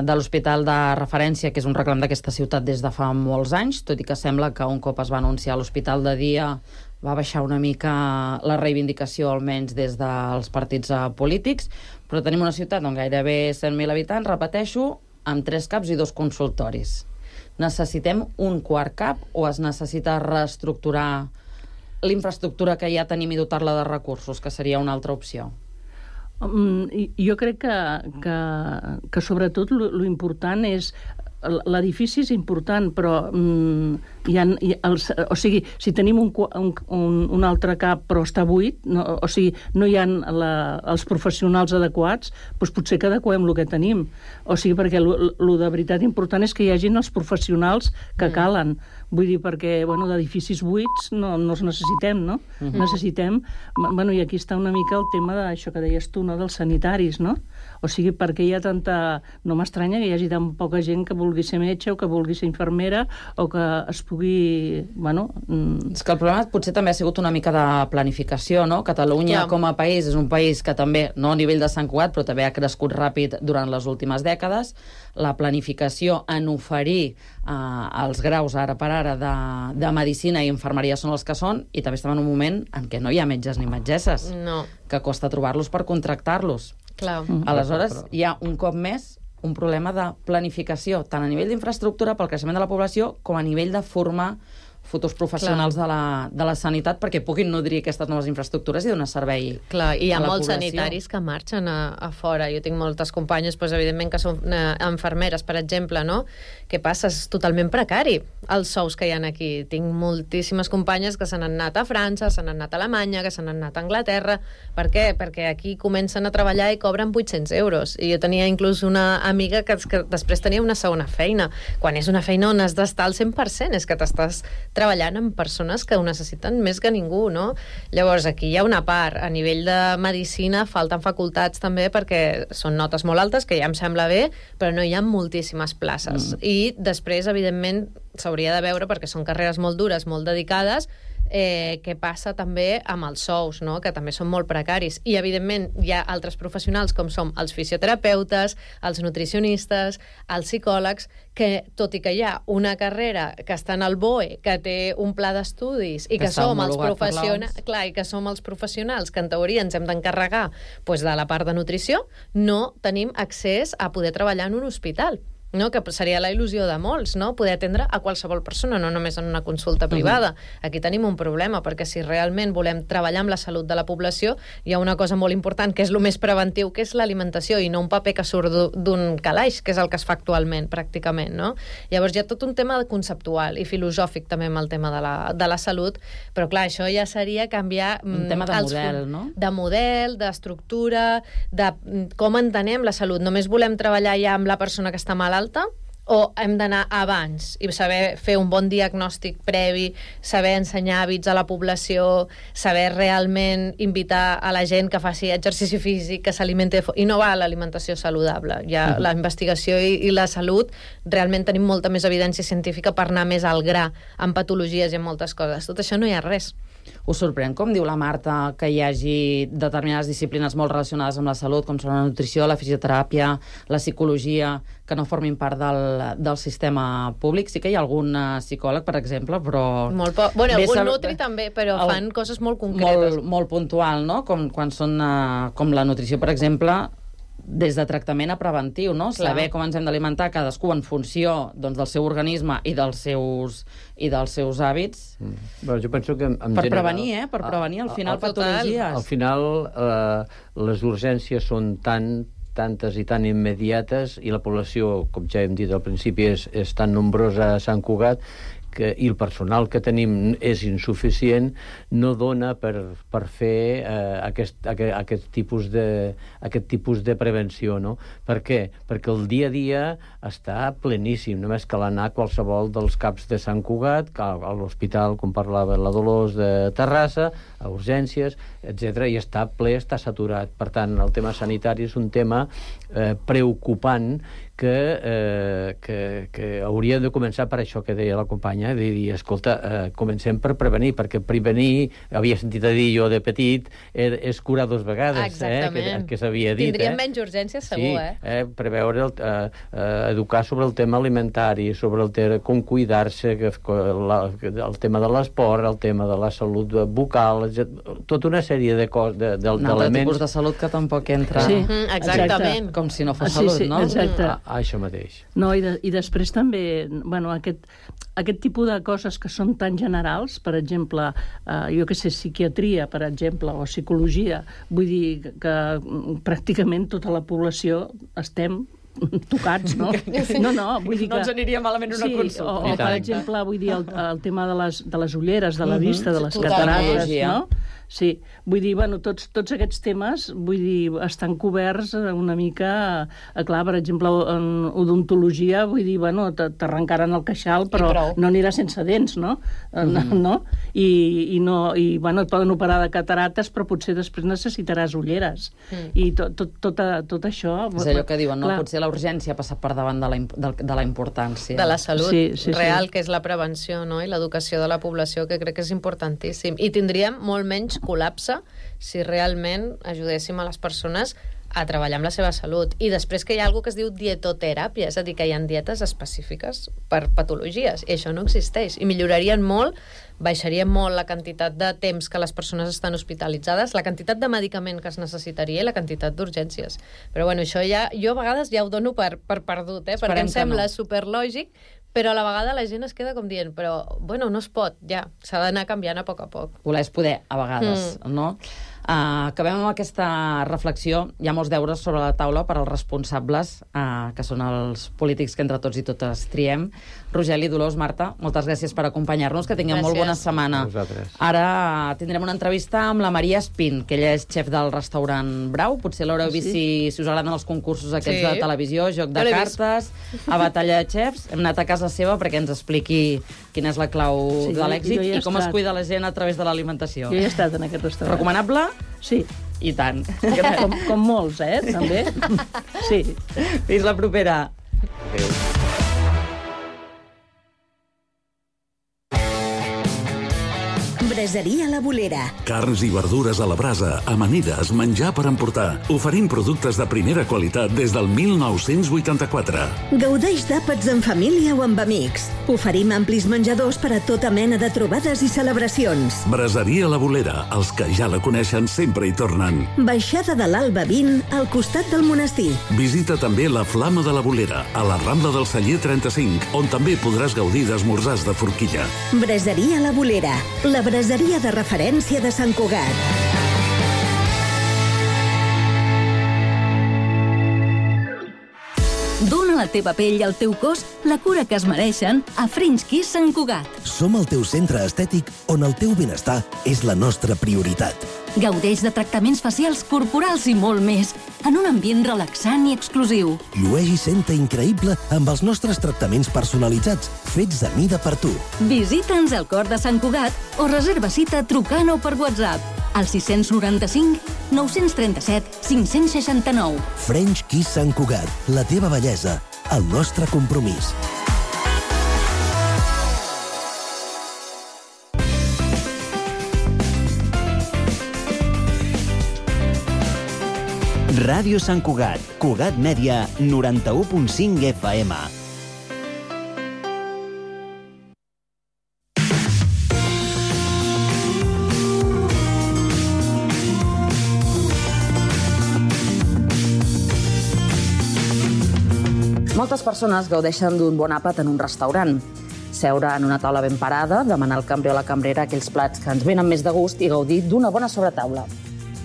de l'hospital de referència, que és un reclam d'aquesta ciutat des de fa molts anys, tot i que sembla que un cop es va anunciar l'hospital de dia va baixar una mica la reivindicació, almenys des dels partits uh, polítics, però tenim una ciutat amb gairebé cent mil habitants, repeteixo, amb tres caps i dos consultoris. Necessitem un quart cap o es necessita reestructurar l'infraestructura que ja tenim i dotar-la de recursos, que seria una altra opció? Um, jo crec que, que, que sobretot lo important és l'edifici és important, però um, hi ha, hi ha els, o sigui, si tenim un, un, un, un altre cap però està buit, no, o sigui, no hi ha la, els professionals adequats, doncs potser que adequem el que tenim. O sigui, perquè el de veritat important és que hi hagin els professionals que calen. Vull dir, perquè, bueno, d'edificis buits no, no els necessitem, no? Uh-huh. Necessitem... Bueno, i aquí està una mica el tema d'això que deies tu, no?, dels sanitaris, no? O sigui, perquè hi ha tanta... No m'estranya que hi hagi tan poca gent que vulgui ser metge o que vulgui ser infermera o que es pugui... Bueno... És que el problema potser també ha sigut una mica de planificació, no? Catalunya, ja, com a país, és un país que també, no a nivell de Sant Cugat, però també ha crescut ràpid durant les últimes dècades. La planificació en oferir eh, els graus ara per ara de, de medicina i infermeria són els que són, i també estem en un moment en què no hi ha metges ni metgesses, no, que costa trobar-los per contractar-los. Clar. Mm. Aleshores, hi ha un cop més un problema de planificació, tant a nivell d'infraestructura pel creixement de la població com a nivell de formar futurs professionals de la, de la sanitat perquè puguin nodrir aquestes noves infraestructures i donar servei. Clar, i hi ha a la molts població. sanitaris que marxen a, a fora. Jo tinc moltes companyes, doncs, evidentment, que són eh, infermeres, per exemple, no? Què passa? És totalment precari els sous que hi ha aquí. Tinc moltíssimes companyes que se n'han anat a França, se n'han anat a Alemanya, que se n'han anat a Anglaterra. Per què? Perquè aquí comencen a treballar i cobren vuit-cents euros. I jo tenia inclús una amiga que, que després tenia una segona feina. Quan és una feina on has d'estar al cent per cent, és que t'estàs treballant amb persones que ho necessiten més que ningú, no? Llavors, aquí hi ha una part. A nivell de medicina falten facultats també perquè són notes molt altes, que ja em sembla bé, però no hi ha moltíssimes places. Mm. I després, evidentment, s'hauria de veure, perquè són carreres molt dures, molt dedicades, Eh, què passa també amb els sous, no? Que també són molt precaris. I, evidentment, hi ha altres professionals com som els fisioterapeutes, els nutricionistes, els psicòlegs, que, tot i que hi ha una carrera que està en el B O E, que té un pla d'estudis i que, que som els professionals, clar, i que som els professionals que en teoria ens hem d'encarregar pues, de la part de nutrició, no tenim accés a poder treballar en un hospital. No? Que seria la il·lusió de molts, no? Poder atendre a qualsevol persona, no només en una consulta privada. Uh-huh. Aquí tenim un problema, perquè si realment volem treballar amb la salut de la població, hi ha una cosa molt important, que és el més preventiu, que és l'alimentació, i no un paper que surt d'un calaix, que és el que es fa actualment, pràcticament, no? Llavors hi ha tot un tema conceptual i filosòfic també amb el tema de la, de la salut, però clar, això ja seria canviar... Un tema de els, model, no? De model, d'estructura, de com entenem la salut. Només volem treballar ja amb la persona que està malalta, o hem d'anar abans i saber fer un bon diagnòstic previ, saber ensenyar hàbits a la població, saber realment invitar a la gent que faci exercici físic, que s'alimenti, i no va a l'alimentació saludable. Ja uh-huh. La investigació i, i la salut, realment tenim molta més evidència científica per anar més al gra, en patologies i en moltes coses. Tot això no hi ha res. Us sorprèn, com diu la Marta, que hi hagi determinades disciplines molt relacionades amb la salut, com són la nutrició, la fisioteràpia, la psicologia, que no formin part del, del sistema públic? Sí que hi ha algun psicòleg, per exemple, però... Molt poc. Bueno, algun nutri també, però el, fan coses molt concretes. Molt, molt puntual, no? Com, quan són, uh, com la nutrició, per exemple, des de tractament a preventiu, no? Clar. Saber com ens hem d'alimentar cadascú en funció doncs, del seu organisme i dels seus, i dels seus hàbits. Mm. Bueno, jo penso que en per general, prevenir, eh? Per prevenir, al final, patologies. Al final, eh, les urgències són tan tantes i tan immediates i la població, com ja hem dit al principi, és, és tan nombrosa a Sant Cugat que, i el personal que tenim és insuficient, no dona per, per fer eh, aquest, aquest, aquest, tipus de, aquest tipus de prevenció, no? Per què? Perquè el dia a dia està pleníssim, només cal anar a qualsevol dels caps de Sant Cugat, a l'hospital, com parlava la Dolors, de Terrassa, a urgències, etcètera, i està ple, està saturat. Per tant, el tema sanitari és un tema eh, preocupant que, eh, que, que hauria de començar per això que deia la companya, de dir, escolta, eh, comencem per prevenir, perquè prevenir, havia sentit a dir jo de petit, eh, és curar dos vegades, eh, que, que s'havia dit. Tindríem eh? menys urgències, segur, sí, eh? eh? Preveure, el, eh, eh, educar sobre el tema alimentari, sobre el tema com cuidar-se, la, el tema de l'esport, el tema de la salut bucal, tota una sèrie de coses, de, de, un altre tipus de salut que tampoc entra... Sí, mm, exactament. Com si no fos sí, salut, sí, no? Exacte. Ah, això mateix. No, i, de, i després també, bueno, aquest, aquest tipus de coses que són tan generals, per exemple, eh, jo que sé, psiquiatria, per exemple, o psicologia, vull dir que, que pràcticament tota la població estem tocats, no? No, no, vull dir que... No ens aniria malament una sí, consulta. O, o per exemple, vull dir, el, el tema de les, de les ulleres, de la vista, de les Totalment. catarates, no? Sí, vull dir, bueno, tots, tots aquests temes, vull dir, estan coberts una mica, eh, clar, per exemple, en odontologia, vull dir, bueno, t'arrencaran el queixal, però no anirà sense dents, no? Mm-hmm. No? I, i, no, i bueno, et poden operar de catarates, però potser després necessitaràs ulleres. Mm. I tot, tot, tot, tot això... És allò que diuen, no? Clar. Potser la urgència ha passat per davant de la, de, de la importància. De la salut sí, sí, real, sí. que és la prevenció, no? I l'educació de la població, que crec que és importantíssim. I tindríem molt menys col·lapse si realment ajudéssim a les persones a treballar amb la seva salut. I després que hi ha alguna que es diu dietoteràpia, és a dir, que hi ha dietes específiques per patologies, i això no existeix. I millorarien molt, baixaria molt la quantitat de temps que les persones estan hospitalitzades, la quantitat de medicament que es necessitaria i la quantitat d'urgències. Però bueno, això ja, jo a vegades ja ho dono per, per perdut, eh? Perquè em sembla no. superlògic, però a la vegada la gent es queda com dient, però, bueno, no es pot, ja, s'ha d'anar canviant a poc a poc. Voler és poder, a vegades, mm. no? Uh, acabem amb aquesta reflexió. Hi ha molts deures sobre la taula per als responsables, uh, que són els polítics que entre tots i totes triem. Rogeli, Dolors, Marta, moltes gràcies per acompanyar-nos, que tinguem gràcies. Molt bona setmana. Vosaltres. Ara tindrem una entrevista amb la Maria Espín, que ella és xef del restaurant Brau. Potser l'haureu vist si, si us agraden els concursos aquests sí. de televisió, joc de cartes, a batalla de xefs. Hem anat a casa seva perquè ens expliqui quina és la clau sí, de l'èxit i com estat. Es cuida la gent a través de l'alimentació. Jo he estat en aquest restaurant. Recomanable? Sí. I tant. Com, com molts, eh, també. Sí. Fins la propera. Adéu. Braseria La Bolera. Carns i verdures a la brasa, amanides, menjar per emportar. Oferim productes de primera qualitat des del mil nou-cents vuitanta-quatre. Gaudeix d'àpats en família o amb amics. Oferim amplis menjadors per a tota mena de trobades i celebracions. Braseria La Bolera. Els que ja la coneixen sempre hi tornen. Baixada de l'Alba vint, al costat del monestir. Visita també la Flama de la Bolera, a la Rambla del Celler trenta-cinc, on també podràs gaudir d'esmorzars de forquilla. Braseria La Bolera. La braseria de referència de Sant Cugat. Dóna a la teva pell i al teu cos la cura que es mereixen a French Kiss Sant Cugat. Som el teu centre estètic on el teu benestar és la nostra prioritat. Gaudeix de tractaments facials, corporals i molt més, en un ambient relaxant i exclusiu. Llueix i senta increïble amb els nostres tractaments personalitzats, fets a mida per tu. Visita'ns al cor de Sant Cugat o reserva cita trucant o per WhatsApp al sis noranta-cinc nou trenta-set cinc seixanta-nou. French Kiss Sant Cugat, la teva bellesa, el nostre compromís. Ràdio Sant Cugat, Cugat Mèdia, noranta-u punt cinc F M. Moltes persones gaudeixen d'un bon àpat en un restaurant. Seure en una taula ben parada, demanar al cambrer o la cambrera aquells plats que ens venen més de gust i gaudir d'una bona sobretaula.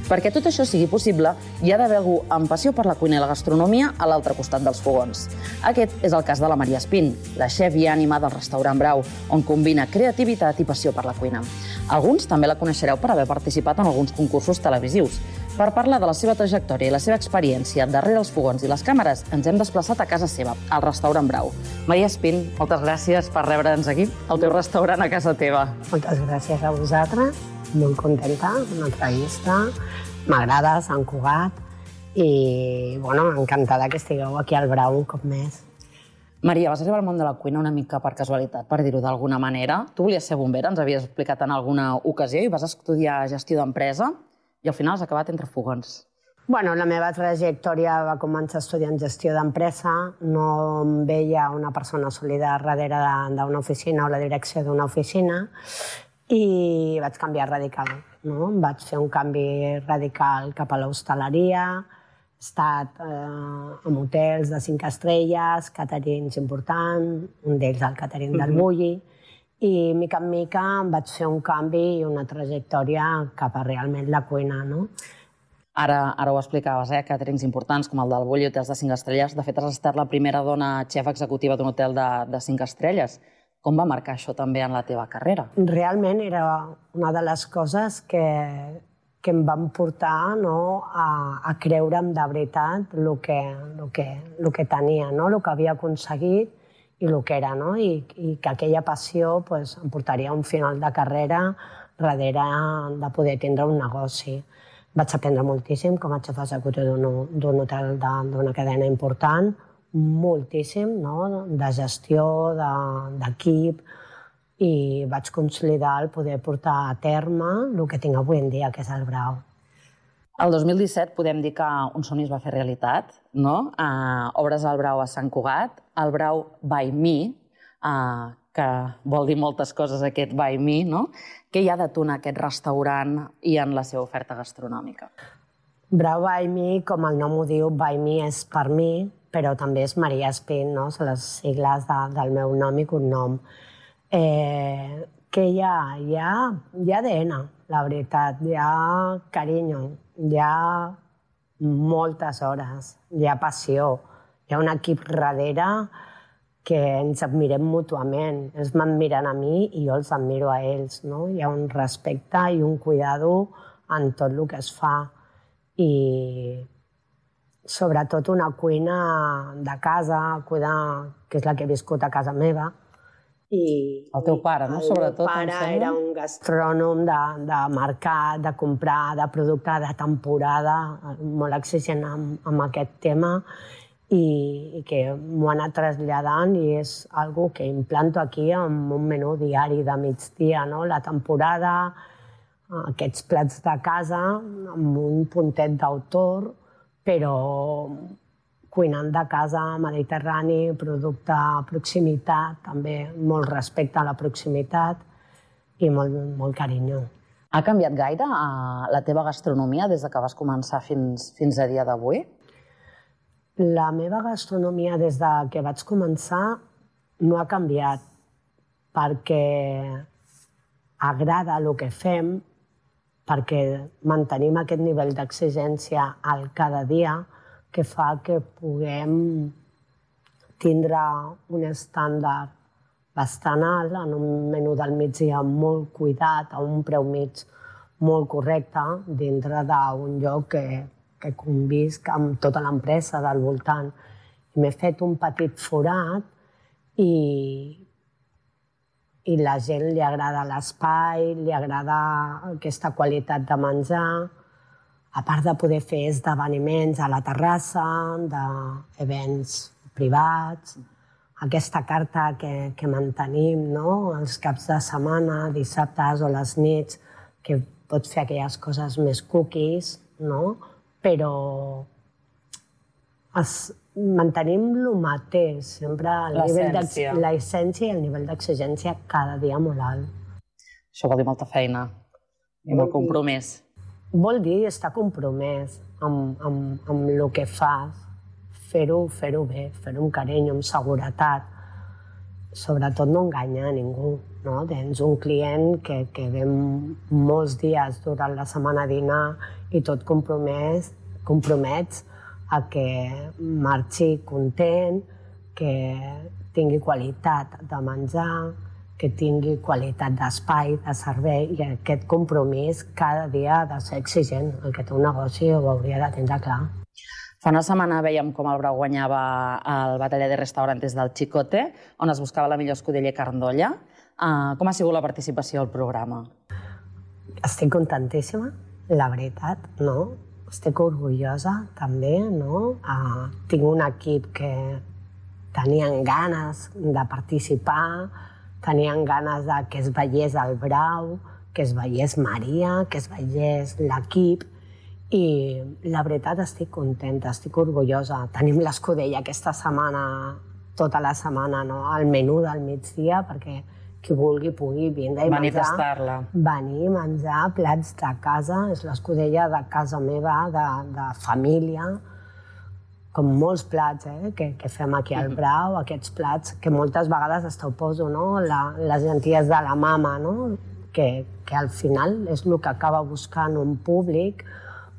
Perquè tot això sigui possible, hi ha d'haver algú amb passió per la cuina i la gastronomia a l'altre costat dels fogons. Aquest és el cas de la Maria Espín, la xef i ànima del restaurant Brau, on combina creativitat i passió per la cuina. Alguns també la coneixereu per haver participat en alguns concursos televisius. Per parlar de la seva trajectòria i la seva experiència darrere els fogons i les càmeres, ens hem desplaçat a casa seva, al restaurant Brau. Maria Espín, moltes gràcies per rebre'ns aquí, al teu restaurant a casa teva. Moltes gràcies a vosaltres. Molt contenta, una entrevista, m'agrada Sant Cugat i, bueno, encantada que estigueu aquí al Brau un cop més. Maria, vas arribar al món de la cuina una mica per casualitat, per dir-ho d'alguna manera. Tu volies ser bombera, ens havies explicat en alguna ocasió, i vas estudiar gestió d'empresa i al final has acabat entre fogons. Bueno, la meva trajectòria va començar estudiant gestió d'empresa, no em veia una persona sòlida darrere d'una oficina o la direcció d'una oficina, i vaig canviar radical, no? Vaig fer un canvi radical cap a l'hostaleria, he estat eh, en hotels de cinc estrelles, caterings importants, un d'ells el catering del Bulli, i mica en mica em vaig fer un canvi i una trajectòria cap a realment la cuina, no? Ara, ara ho explicaves, eh? Càterings importants com el del Bull i hotels de cinc estrelles. De fet, has estat la primera dona xef executiva d'un hotel de, de cinc estrelles. Com va marcar això també en la teva carrera? Realment era una de les coses que, que em van portar, no, a, a creure'm de veritat el que, el que, el que tenia, no? El que havia aconseguit i el que era, no? I, i que aquella passió pues, em portaria a un final de carrera darrere de poder tindre un negoci. Vaig aprendre moltíssim com a xef executiu d'un hotel d'una cadena important, moltíssim, no? De gestió, d'equip, i vaig consolidar el poder portar a terme el que tinc avui en dia, que és el Brau. El dos mil disset podem dir que un somni es va fer realitat, no? Uh, obres el Brau a Sant Cugat, el Brau by Me, uh, que vol dir moltes coses aquest by me, no? Què hi ha de tu en aquest restaurant i en la seva oferta gastronòmica? Brau by me, com el nom ho diu, by me és per mi, però també és Maria Espín, no? Són les sigles de, del meu nom i cognom. Eh, què hi ha? Hi ha, hi ha A D N, la veritat, hi ha carinyo, hi ha moltes hores, hi ha passió, hi ha un equip darrere que ens admirem mútuament. Ells m'admiren a mi i jo els admiro a ells, no? Hi ha un respecte i un cuidado en tot el que es fa. I sobretot una cuina de casa, cuidar, que és la que he viscut a casa meva. I el teu pare, no? Sobretot, el meu pare era un gastrònom de, de mercat, de comprar, de producte de temporada, molt exigent amb, amb aquest tema, i, i que m'ho ha anat traslladant i és algo que implanto aquí amb un menú diari de migdia, no? La temporada, aquests plats de casa, amb un puntet d'autor, però cuinant de casa, mediterrani, producte a proximitat, també molt respecte a la proximitat i molt, molt carinyo. Ha canviat gaire la teva gastronomia des que vas començar fins, fins a dia d'avui? La meva gastronomia des que vaig començar no ha canviat perquè agrada el que fem, perquè mantenim aquest nivell d'exigència al cada dia que fa que puguem tindre un estàndard bastant alt en un menú del migdia molt cuidat, a un preu mig molt correcte, dintre d'un lloc que que convisc amb tota l'empresa del voltant. M'he fet un petit forat i, i la gent li agrada l'espai, li agrada aquesta qualitat de menjar, a part de poder fer esdeveniments a la terrassa, d'events privats, aquesta carta que, que mantenim, no? Els caps de setmana, dissabtes o les nits, que pots fer aquelles coses més cookies, no? Però es, mantenim el mateix, sempre l'essència i el nivell d'exigència cada dia molt alt. Això vol dir molta feina i molt compromès. Vol dir estar compromès amb, amb, amb el que fas, fer-ho fer-ho bé, fer-ho amb carinyo, amb seguretat. Sobretot no enganyar a ningú. No? Tens un client que, que ve molts dies durant la setmana a dinar i tot compromès, compromets a que marxi content, que tingui qualitat de menjar, que tingui qualitat d'espai, de servei, i aquest compromís cada dia ha de ser exigent. El que té un negoci ho hauria de tindre clar. Fa una setmana veiem com el Brau guanyava el Batalla de Restaurantes del Chicote, on es buscava la millor escudeller carn d'olla. Uh, com ha sigut la participació al programa? Estic contentíssima, la veritat, no? Estic orgullosa, també, no? Uh, tinc un equip que tenien ganes de participar, tenien ganes de que es veiés el Brau, que es veiés Maria, que es veiés l'equip, i la veritat estic contenta, estic orgullosa. Tenim l'escudella aquesta setmana, tota la setmana, no? Al menú del migdia, perquè qui vulgui pugui vindre i menjar. Venir a tastar-la. Venir a menjar plats de casa, és l'escudella de casa meva, de, de família, com molts plats eh, que, que fem aquí al Brau, aquests plats que moltes vegades hasta ho poso, no? La, les llenties de la mama, no? Que, que al final és el que acaba buscant un públic,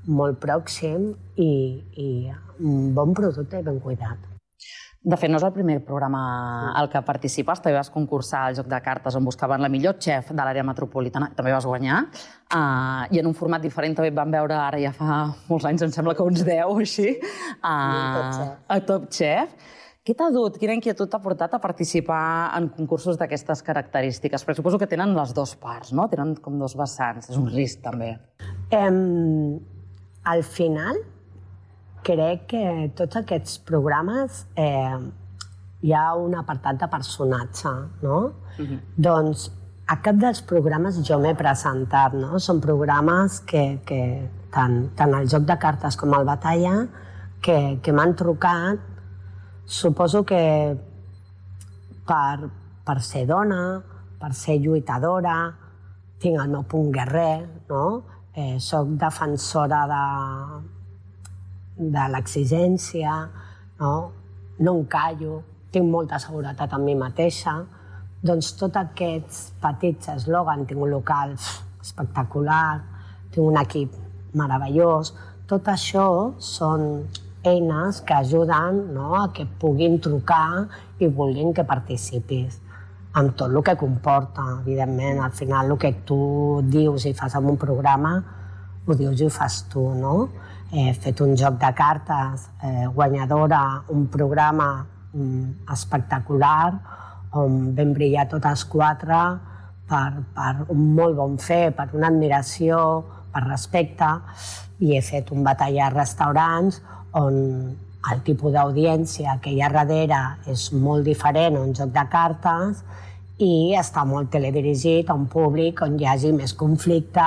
molt pròxim i, i un bon producte i ben cuidat. De fet, no és el primer programa al que participes. També vas concursar al Joc de Cartes on buscaven la millor xef de l'àrea metropolitana. També vas guanyar. Uh, I en un format diferent també et van veure, ara ja fa molts anys, em sembla que uns deu o així, uh, a Top Chef. Què t'ha dut? Quina inquietud t'ha portat a participar en concursos d'aquestes característiques? Perquè suposo que tenen les dues parts, no? Tenen com dos vessants. És un risc, també. Um, al final, crec que tots aquests programes eh, hi ha un apartat de personatge, no? Uh-huh. Doncs a cap dels programes jo m'he presentat, no? Són programes que, que tant, tant el Joc de Cartes com el Batalla, que, que m'han trucat, suposo que per, per ser dona, per ser lluitadora, tinc el meu punt guerrer, no? Eh, soc defensora de de l'exigència, no? No em callo, tinc molta seguretat en mi mateixa. Doncs tots aquests petits eslògans, tinc un local espectacular, tinc un equip meravellós, tot això són eines que ajuden, no?, a que puguin trucar i vulguin que participis amb tot el que comporta, evidentment. Al final el que tu dius i fas en un programa ho dius i ho fas tu, no? He fet un joc de cartes eh, guanyadora, un programa mm, espectacular on vam brillar totes quatre per, per un molt bon fer, per una admiració, per respecte, i he fet un Batalla a restaurants on el tipus d'audiència que hi ha darrere és molt diferent a un joc de cartes i està molt teledirigit a un públic on hi hagi més conflicte,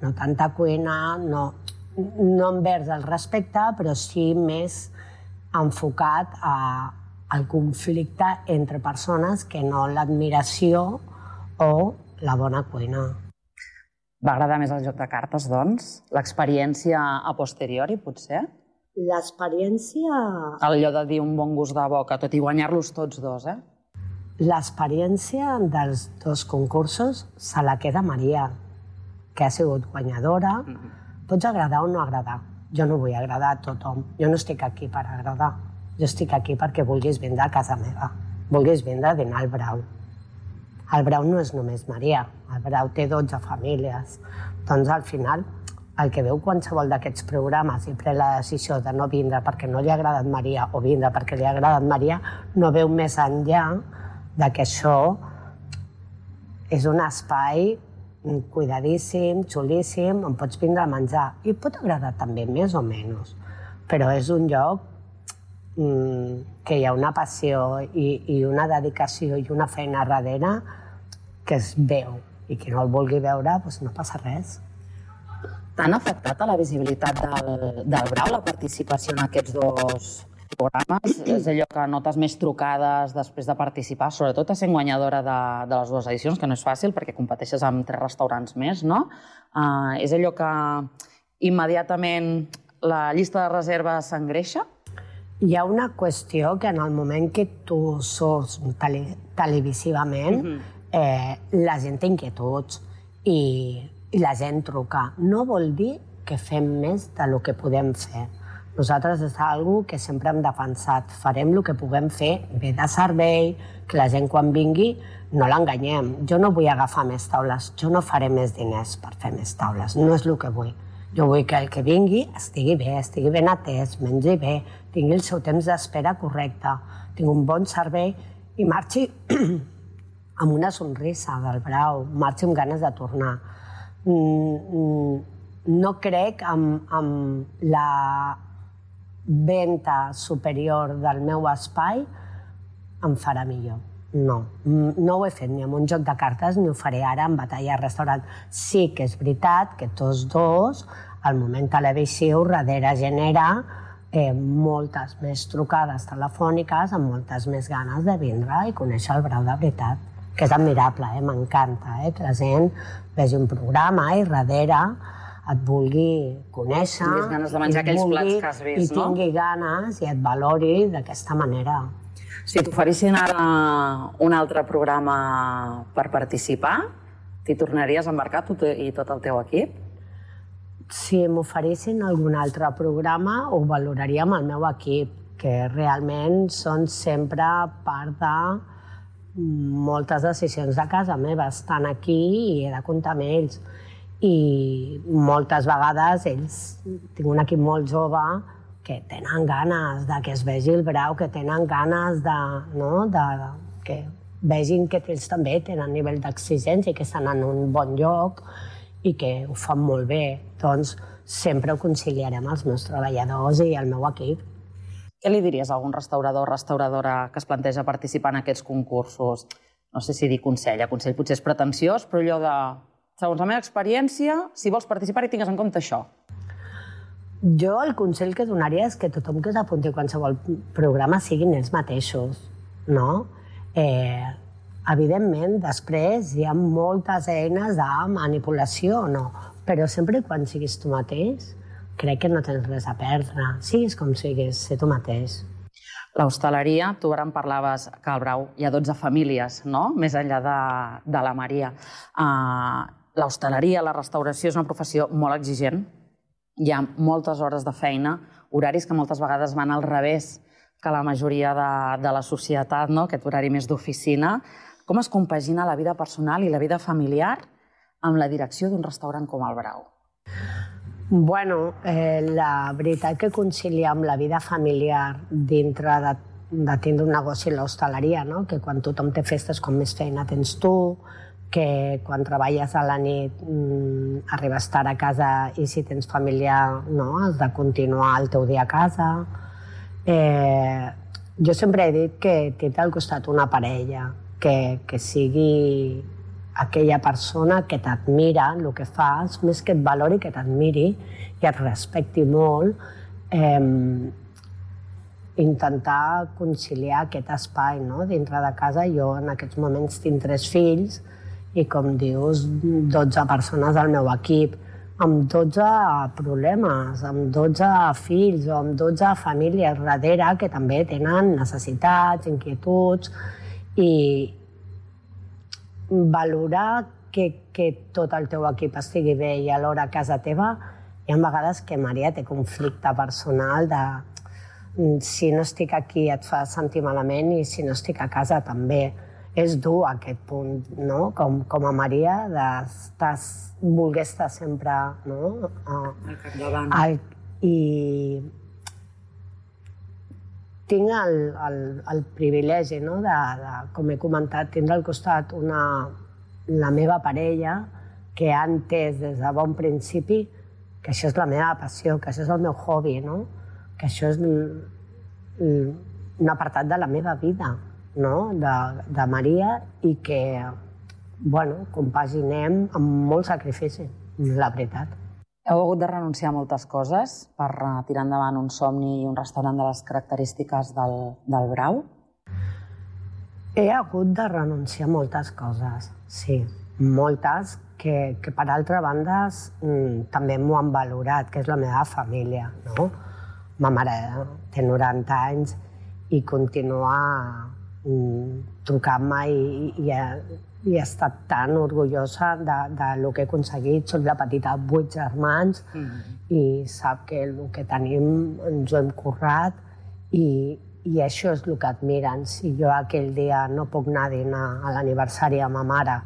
no tanta cuina, no, no envers el respecte, però sí més enfocat a, al conflicte entre persones que no l'admiració o la bona cuina. Va agradar més el Joc de Cartes, doncs? L'experiència a posteriori, potser? L'experiència... Allò de dir un bon gust de boca, tot i guanyar-los tots dos, eh? L'experiència dels dos concursos se la queda Maria, que ha sigut guanyadora. Pots agradar o no agradar. Jo no vull agradar a tothom. Jo no estic aquí per agradar. Jo estic aquí perquè vulguis vindre a casa meva. Vulguis vindre a dinar al Brau. El Brau no és només Maria. El Brau té dotze famílies. Doncs al final, el que veu qualsevol d'aquests programes i pren la decisió de no vindre perquè no li ha agradat Maria o vindre perquè li ha agradat Maria, no veu més enllà de que això és un espai cuidadíssim, xulíssim, on pots vindre a menjar. I pot agradar també, més o menys. Però és un lloc mmm, que hi ha una passió i, i una dedicació i una feina darrere que es veu. I qui no el vulgui veure, doncs no passa res. T'han afectat a la visibilitat del, del Brau la participació en aquests dos programes? És allò que notes més trucades després de participar, sobretot a ser guanyadora de, de les dues edicions, que no és fàcil perquè competeixes amb tres restaurants més, no? Uh, és allò que immediatament la llista de reserves s'engreixa? Hi ha una qüestió que en el moment que tu surts tele, televisivament, mm-hmm. eh, la gent té inquietuds i, i la gent truca. No vol dir que fem més del que podem fer. Nosaltres és una que sempre hem defensat. Farem el que puguem fer bé de servei, que la gent quan vingui no l'enganyem. Jo no vull agafar més taules, jo no faré més diners per fer més taules, no és el que vull. Jo vull que el que vingui estigui bé, estigui ben atès, mengi bé, tingui el seu temps d'espera correcte, tingui un bon servei i marxi amb una sonrisa del Brau, marxi amb ganes de tornar. No crec amb la venda superior del meu espai em farà millor. No, no ho he fet ni amb un joc de cartes ni ho faré ara en Batalla a restaurant. Sí que és veritat que tots dos, al moment televisiu, darrere genera eh, moltes més trucades telefòniques amb moltes més ganes de vindre i conèixer el Brau de veritat. Que és admirable, eh? M'encanta eh? que la gent vegi un programa i darrere et vulgui conèixer, tinguis ganes de menjar aquells plats que has vist, i tingui ganes i et valori d'aquesta manera. Si t'oferissin ara un altre programa per participar, t'hi tornaries a embarcar tu i tot el teu equip? si m'oferissin algun altre programa ho valoraria amb el meu equip, que realment són sempre part de moltes decisions de casa meva. Estan aquí i he de comptar amb ells. I moltes vegades ells, tinc un equip molt jove, que tenen ganes de que es vegi el Brau, que tenen ganes de, no, de que vegin que ells també tenen nivell d'exigència i que estan en un bon lloc i que ho fan molt bé. Doncs sempre ho conciliarem els meus treballadors i el meu equip. Què li diries a algun restaurador o restauradora que es planteja participar en aquests concursos? No sé si dir consell, a consell potser és pretensiós, però allò de, segons la meva experiència, si vols participar i tingues en compte això. Jo el consell que donaria és que tothom que s'apunti a qualsevol programa siguin ells mateixos, no? Eh, evidentment, després hi ha moltes eines de manipulació, no? Però sempre quan siguis tu mateix, crec que no tens res a perdre. Siguis com siguis, ser tu mateix. L'hostaleria, tu ara em parlaves que al Brau hi ha dotze famílies, no? Més enllà de, de la Maria. Uh, L'hostaleria, la restauració és una professió molt exigent. Hi ha moltes hores de feina, horaris que moltes vegades van al revés que la majoria de, de la societat, no? Aquest horari més d'oficina. Com es compagina la vida personal i la vida familiar amb la direcció d'un restaurant com el Brau? Bueno, eh, la veritat que conciliar amb la vida familiar dintre de, de tindre un negoci a l'hostaleria, no? Que quan tothom té festes, com més feina tens tu, que quan treballes a la nit mm, arribes tard a casa i si tens família no, has de continuar el teu dia a casa. Eh, jo sempre he dit que tindre al costat una parella, que, que sigui aquella persona que t'admira el que fas, més que et valori, que t'admiri i et respecti molt, eh, intentar conciliar aquest espai, no? Dintre de casa. Jo en aquests moments tinc tres fills i, com dius, dotze persones al meu equip, amb dotze problemes, amb dotze fills o amb dotze famílies darrere que també tenen necessitats, inquietuds, i valorar que, que tot el teu equip estigui bé i alhora a casa teva. Hi ha vegades que Maria té conflicte personal de si no estic aquí et fa sentir malament i si no estic a casa també. És dur aquest punt, no? Com, com a Maria, de voler estar sempre, no? Al capdavant. Al, I tinc el, el, el privilegi, no? de, de, com he comentat, tindre al costat una, la meva parella que ha entès des de bon principi que això és la meva passió, que això és el meu hobby, no? Que això és l, l, un apartat de la meva vida, no? de, de Maria, i que bueno, compaginem amb molt sacrifici, la veritat. Heu hagut de renunciar a moltes coses per tirar endavant un somni i un restaurant de les característiques del, del Brau? He hagut de renunciar a moltes coses, sí. Moltes que, que per altra banda, mm, també m'ho han valorat, que és la meva família, no? Ma mare té noranta anys i continua mm, trucant-me i, i, i he estat tan orgullosa de, de lo que he aconseguit. Soc la petita de vuit germans mm-hmm. i sap que el que tenim ens ho hem currat i, i això és el que admiren. Si jo aquell dia no puc anar a dinar a l'aniversari a ma mare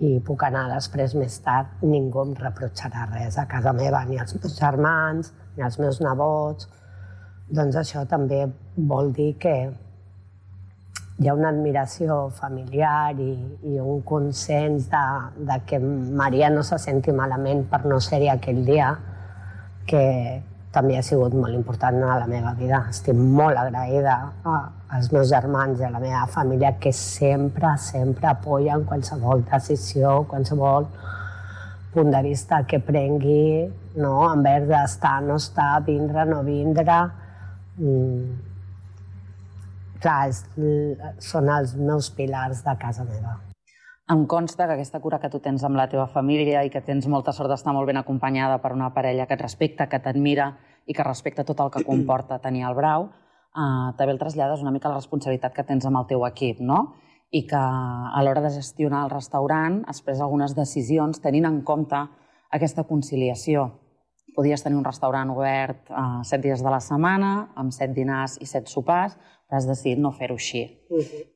i puc anar després més tard, ningú em reprotxarà res a casa meva, ni els meus germans, ni els meus nebots. Doncs això també vol dir que hi ha una admiració familiar i, i un consens de, de que Maria no se senti malament per no ser-hi aquell dia, que també ha sigut molt important a la meva vida. Estic molt agraïda als meus germans i a la meva família que sempre, sempre apoyen qualsevol decisió, qualsevol punt de vista que prengui, no? Envers d'estar, no estar, vindre, no vindre. Mm. Clar, és, són els meus pilars de casa meva. Em consta que aquesta cura que tu tens amb la teva família i que tens molta sort d'estar molt ben acompanyada per una parella que et respecta, que t'admira i que respecta tot el que comporta tenir el Brau, eh, també el trasllades una mica la responsabilitat que tens amb el teu equip, no? I que a l'hora de gestionar el restaurant has pres algunes decisions tenint en compte aquesta conciliació podies tenir un restaurant obert set dies de la setmana, amb set dinars i set sopars, però has decidit no fer-ho així.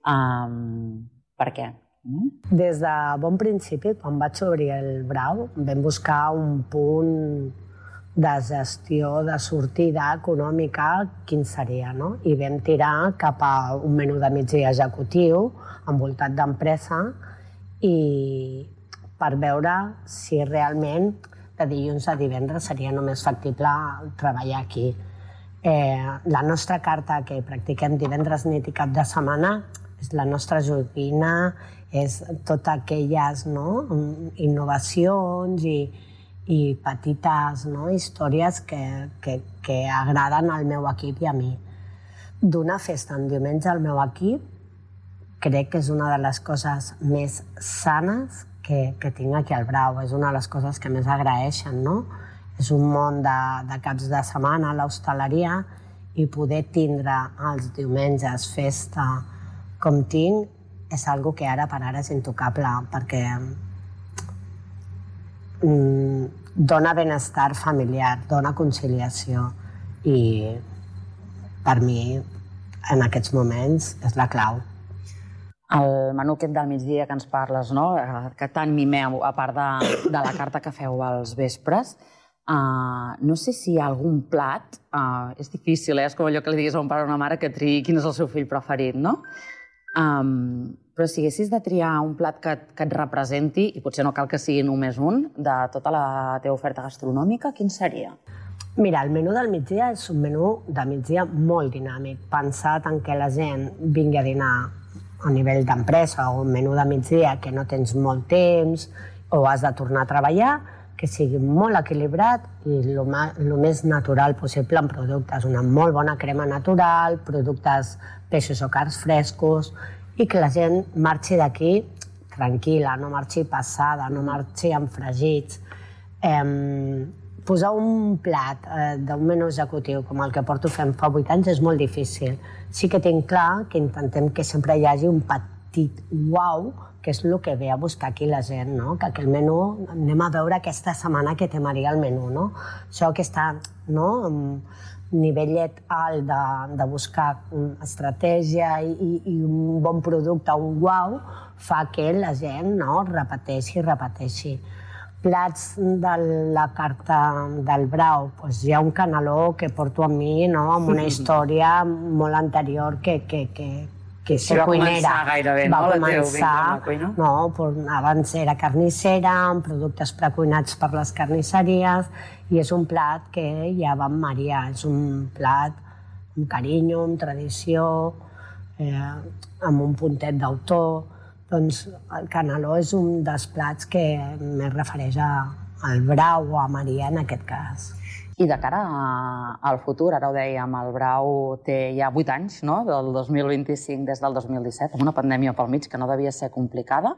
Per què? Des de bon principi, quan vaig obrir el Brau, vam buscar un punt de gestió, de sortida econòmica, quin seria, no? I vam tirar cap a un menú de migdia executiu, envoltat d'empresa, i per veure si realment de dilluns a divendres seria només factible treballar aquí. La nostra carta que practiquem divendres, nit i cap de setmana és la nostra joguina, és totes aquelles innovacions i petites històries que agraden al meu equip i a mi. Donar festa en diumenge al meu equip crec que és una de les coses més sanes que tinc aquí al Brau. És una de les coses que més agraeixen, no? És un món de caps de setmana, l'hostaleria, i poder tindre els diumenges festa com tinc és algo que ara per ara és intocable, perquè dona benestar familiar, dona conciliació, i per mi en aquests moments és la clau. El menú aquest del migdia que ens parles, que tant mimeu, a part de la carta que feu als vespres, no sé si hi ha algun plat, és difícil, és com allò que li diguis a un pare o una mare que triï quin és el seu fill preferit, no? Però si haguessis de triar un plat que et representi, i potser no cal que sigui només un, de tota la teva oferta gastronòmica, quin seria? Mira, el menú del migdia és un menú de migdia molt dinàmic, pensat en què la gent vingui a dinar a nivell d'empresa o un menú de migdia que no tens molt temps o has de tornar a treballar, que sigui molt equilibrat i el més natural possible en productes. Una molt bona crema natural, productes, peixos o carns frescos, i que la gent marxi d'aquí tranquil·la, no marxi passada, no marxi amb fregits. Posar un plat d'un menú executiu com el que porto fent fa vuit anys és molt difícil. Sí que tinc clar que intentem que sempre hi hagi un petit uau, que és el que ve a buscar aquí la gent, no? Que aquell menú, anem a veure aquesta setmana què té Maria al menú, no? Això que està, no?, nivellet alt de buscar estratègia i un bon producte, un uau, fa que la gent repeteixi i repeteixi. Plats de la carta del Brau, hi ha un caneló que porto amb mi, amb una història molt anterior que que ser cuinera va començar, abans era carnissera, amb productes precuinats per les carnisseries, i és un plat que ja va amb Maria, és un plat amb carinyo, amb tradició, amb un puntet d'autor. Doncs el caneló és un dels plats que més refereix al Brau o a Maria en aquest cas. I de cara al futur, ara ho dèiem, el Brau té ja vuit anys, no?, del dos mil vint-i-cinc des del dos mil disset, amb una pandèmia pel mig que no devia ser complicada.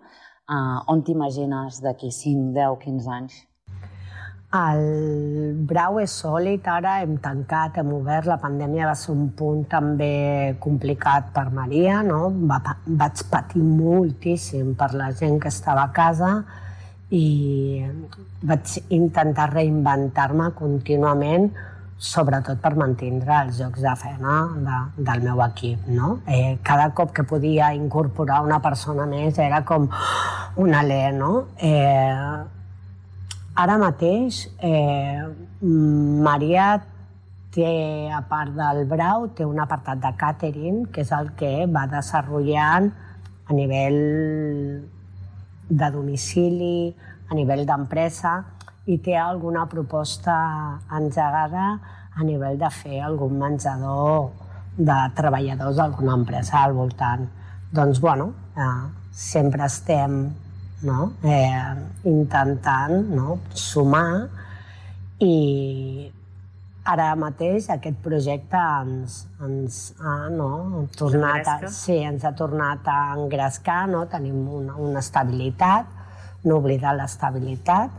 On t'imagines d'aquí cinc, deu, quinze anys? El Brau és sòlid, ara hem tancat, hem obert, la pandèmia va ser un punt també complicat per Maria, no? Vaig patir moltíssim per la gent que estava a casa, i vaig intentar reinventar-me contínuament, sobretot per mantindre els llocs de feina del meu equip. Cada cop que podia incorporar una persona més era com un alè. Ara mateix, Maria té, a part del Brau, té un apartat de càtering, que és el que va desenvolupant a nivell de domicili, a nivell d'empresa, i té alguna proposta engegada a nivell de fer algun menjador de treballadors d'alguna empresa al voltant. Doncs, bueno, sempre estem intentant sumar, i ara mateix aquest projecte ens ha tornat a engrescar, tenim una estabilitat, no oblidar l'estabilitat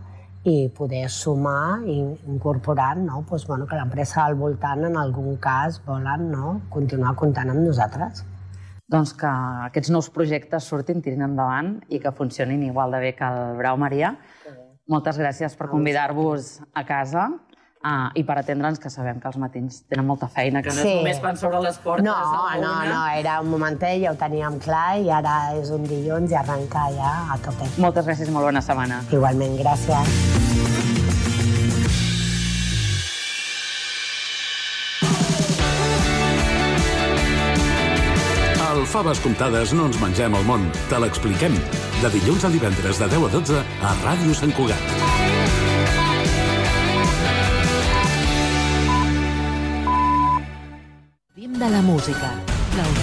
i poder sumar i incorporar que l'empresa al voltant en algun cas volen continuar comptant amb nosaltres. Doncs que aquests nous projectes surtin, tirin endavant i que funcionin igual de bé que el Brau, Maria. Moltes gràcies per convidar-vos a casa Ah, I per atendre'ns, que sabem que els matins tenen molta feina, que no Sí. és només quan s'obren les portes. No, a la no, una. no, era un momentet, ja ho teníem clar, i ara és un dilluns i arrencar ja a tope. Moltes gràcies, molt bona setmana. Igualment, gràcies. Al Faves Comptades no ens mengem el món, te l'expliquem. De dilluns a divendres de deu a dotze a Ràdio Sant Cugat. De la música.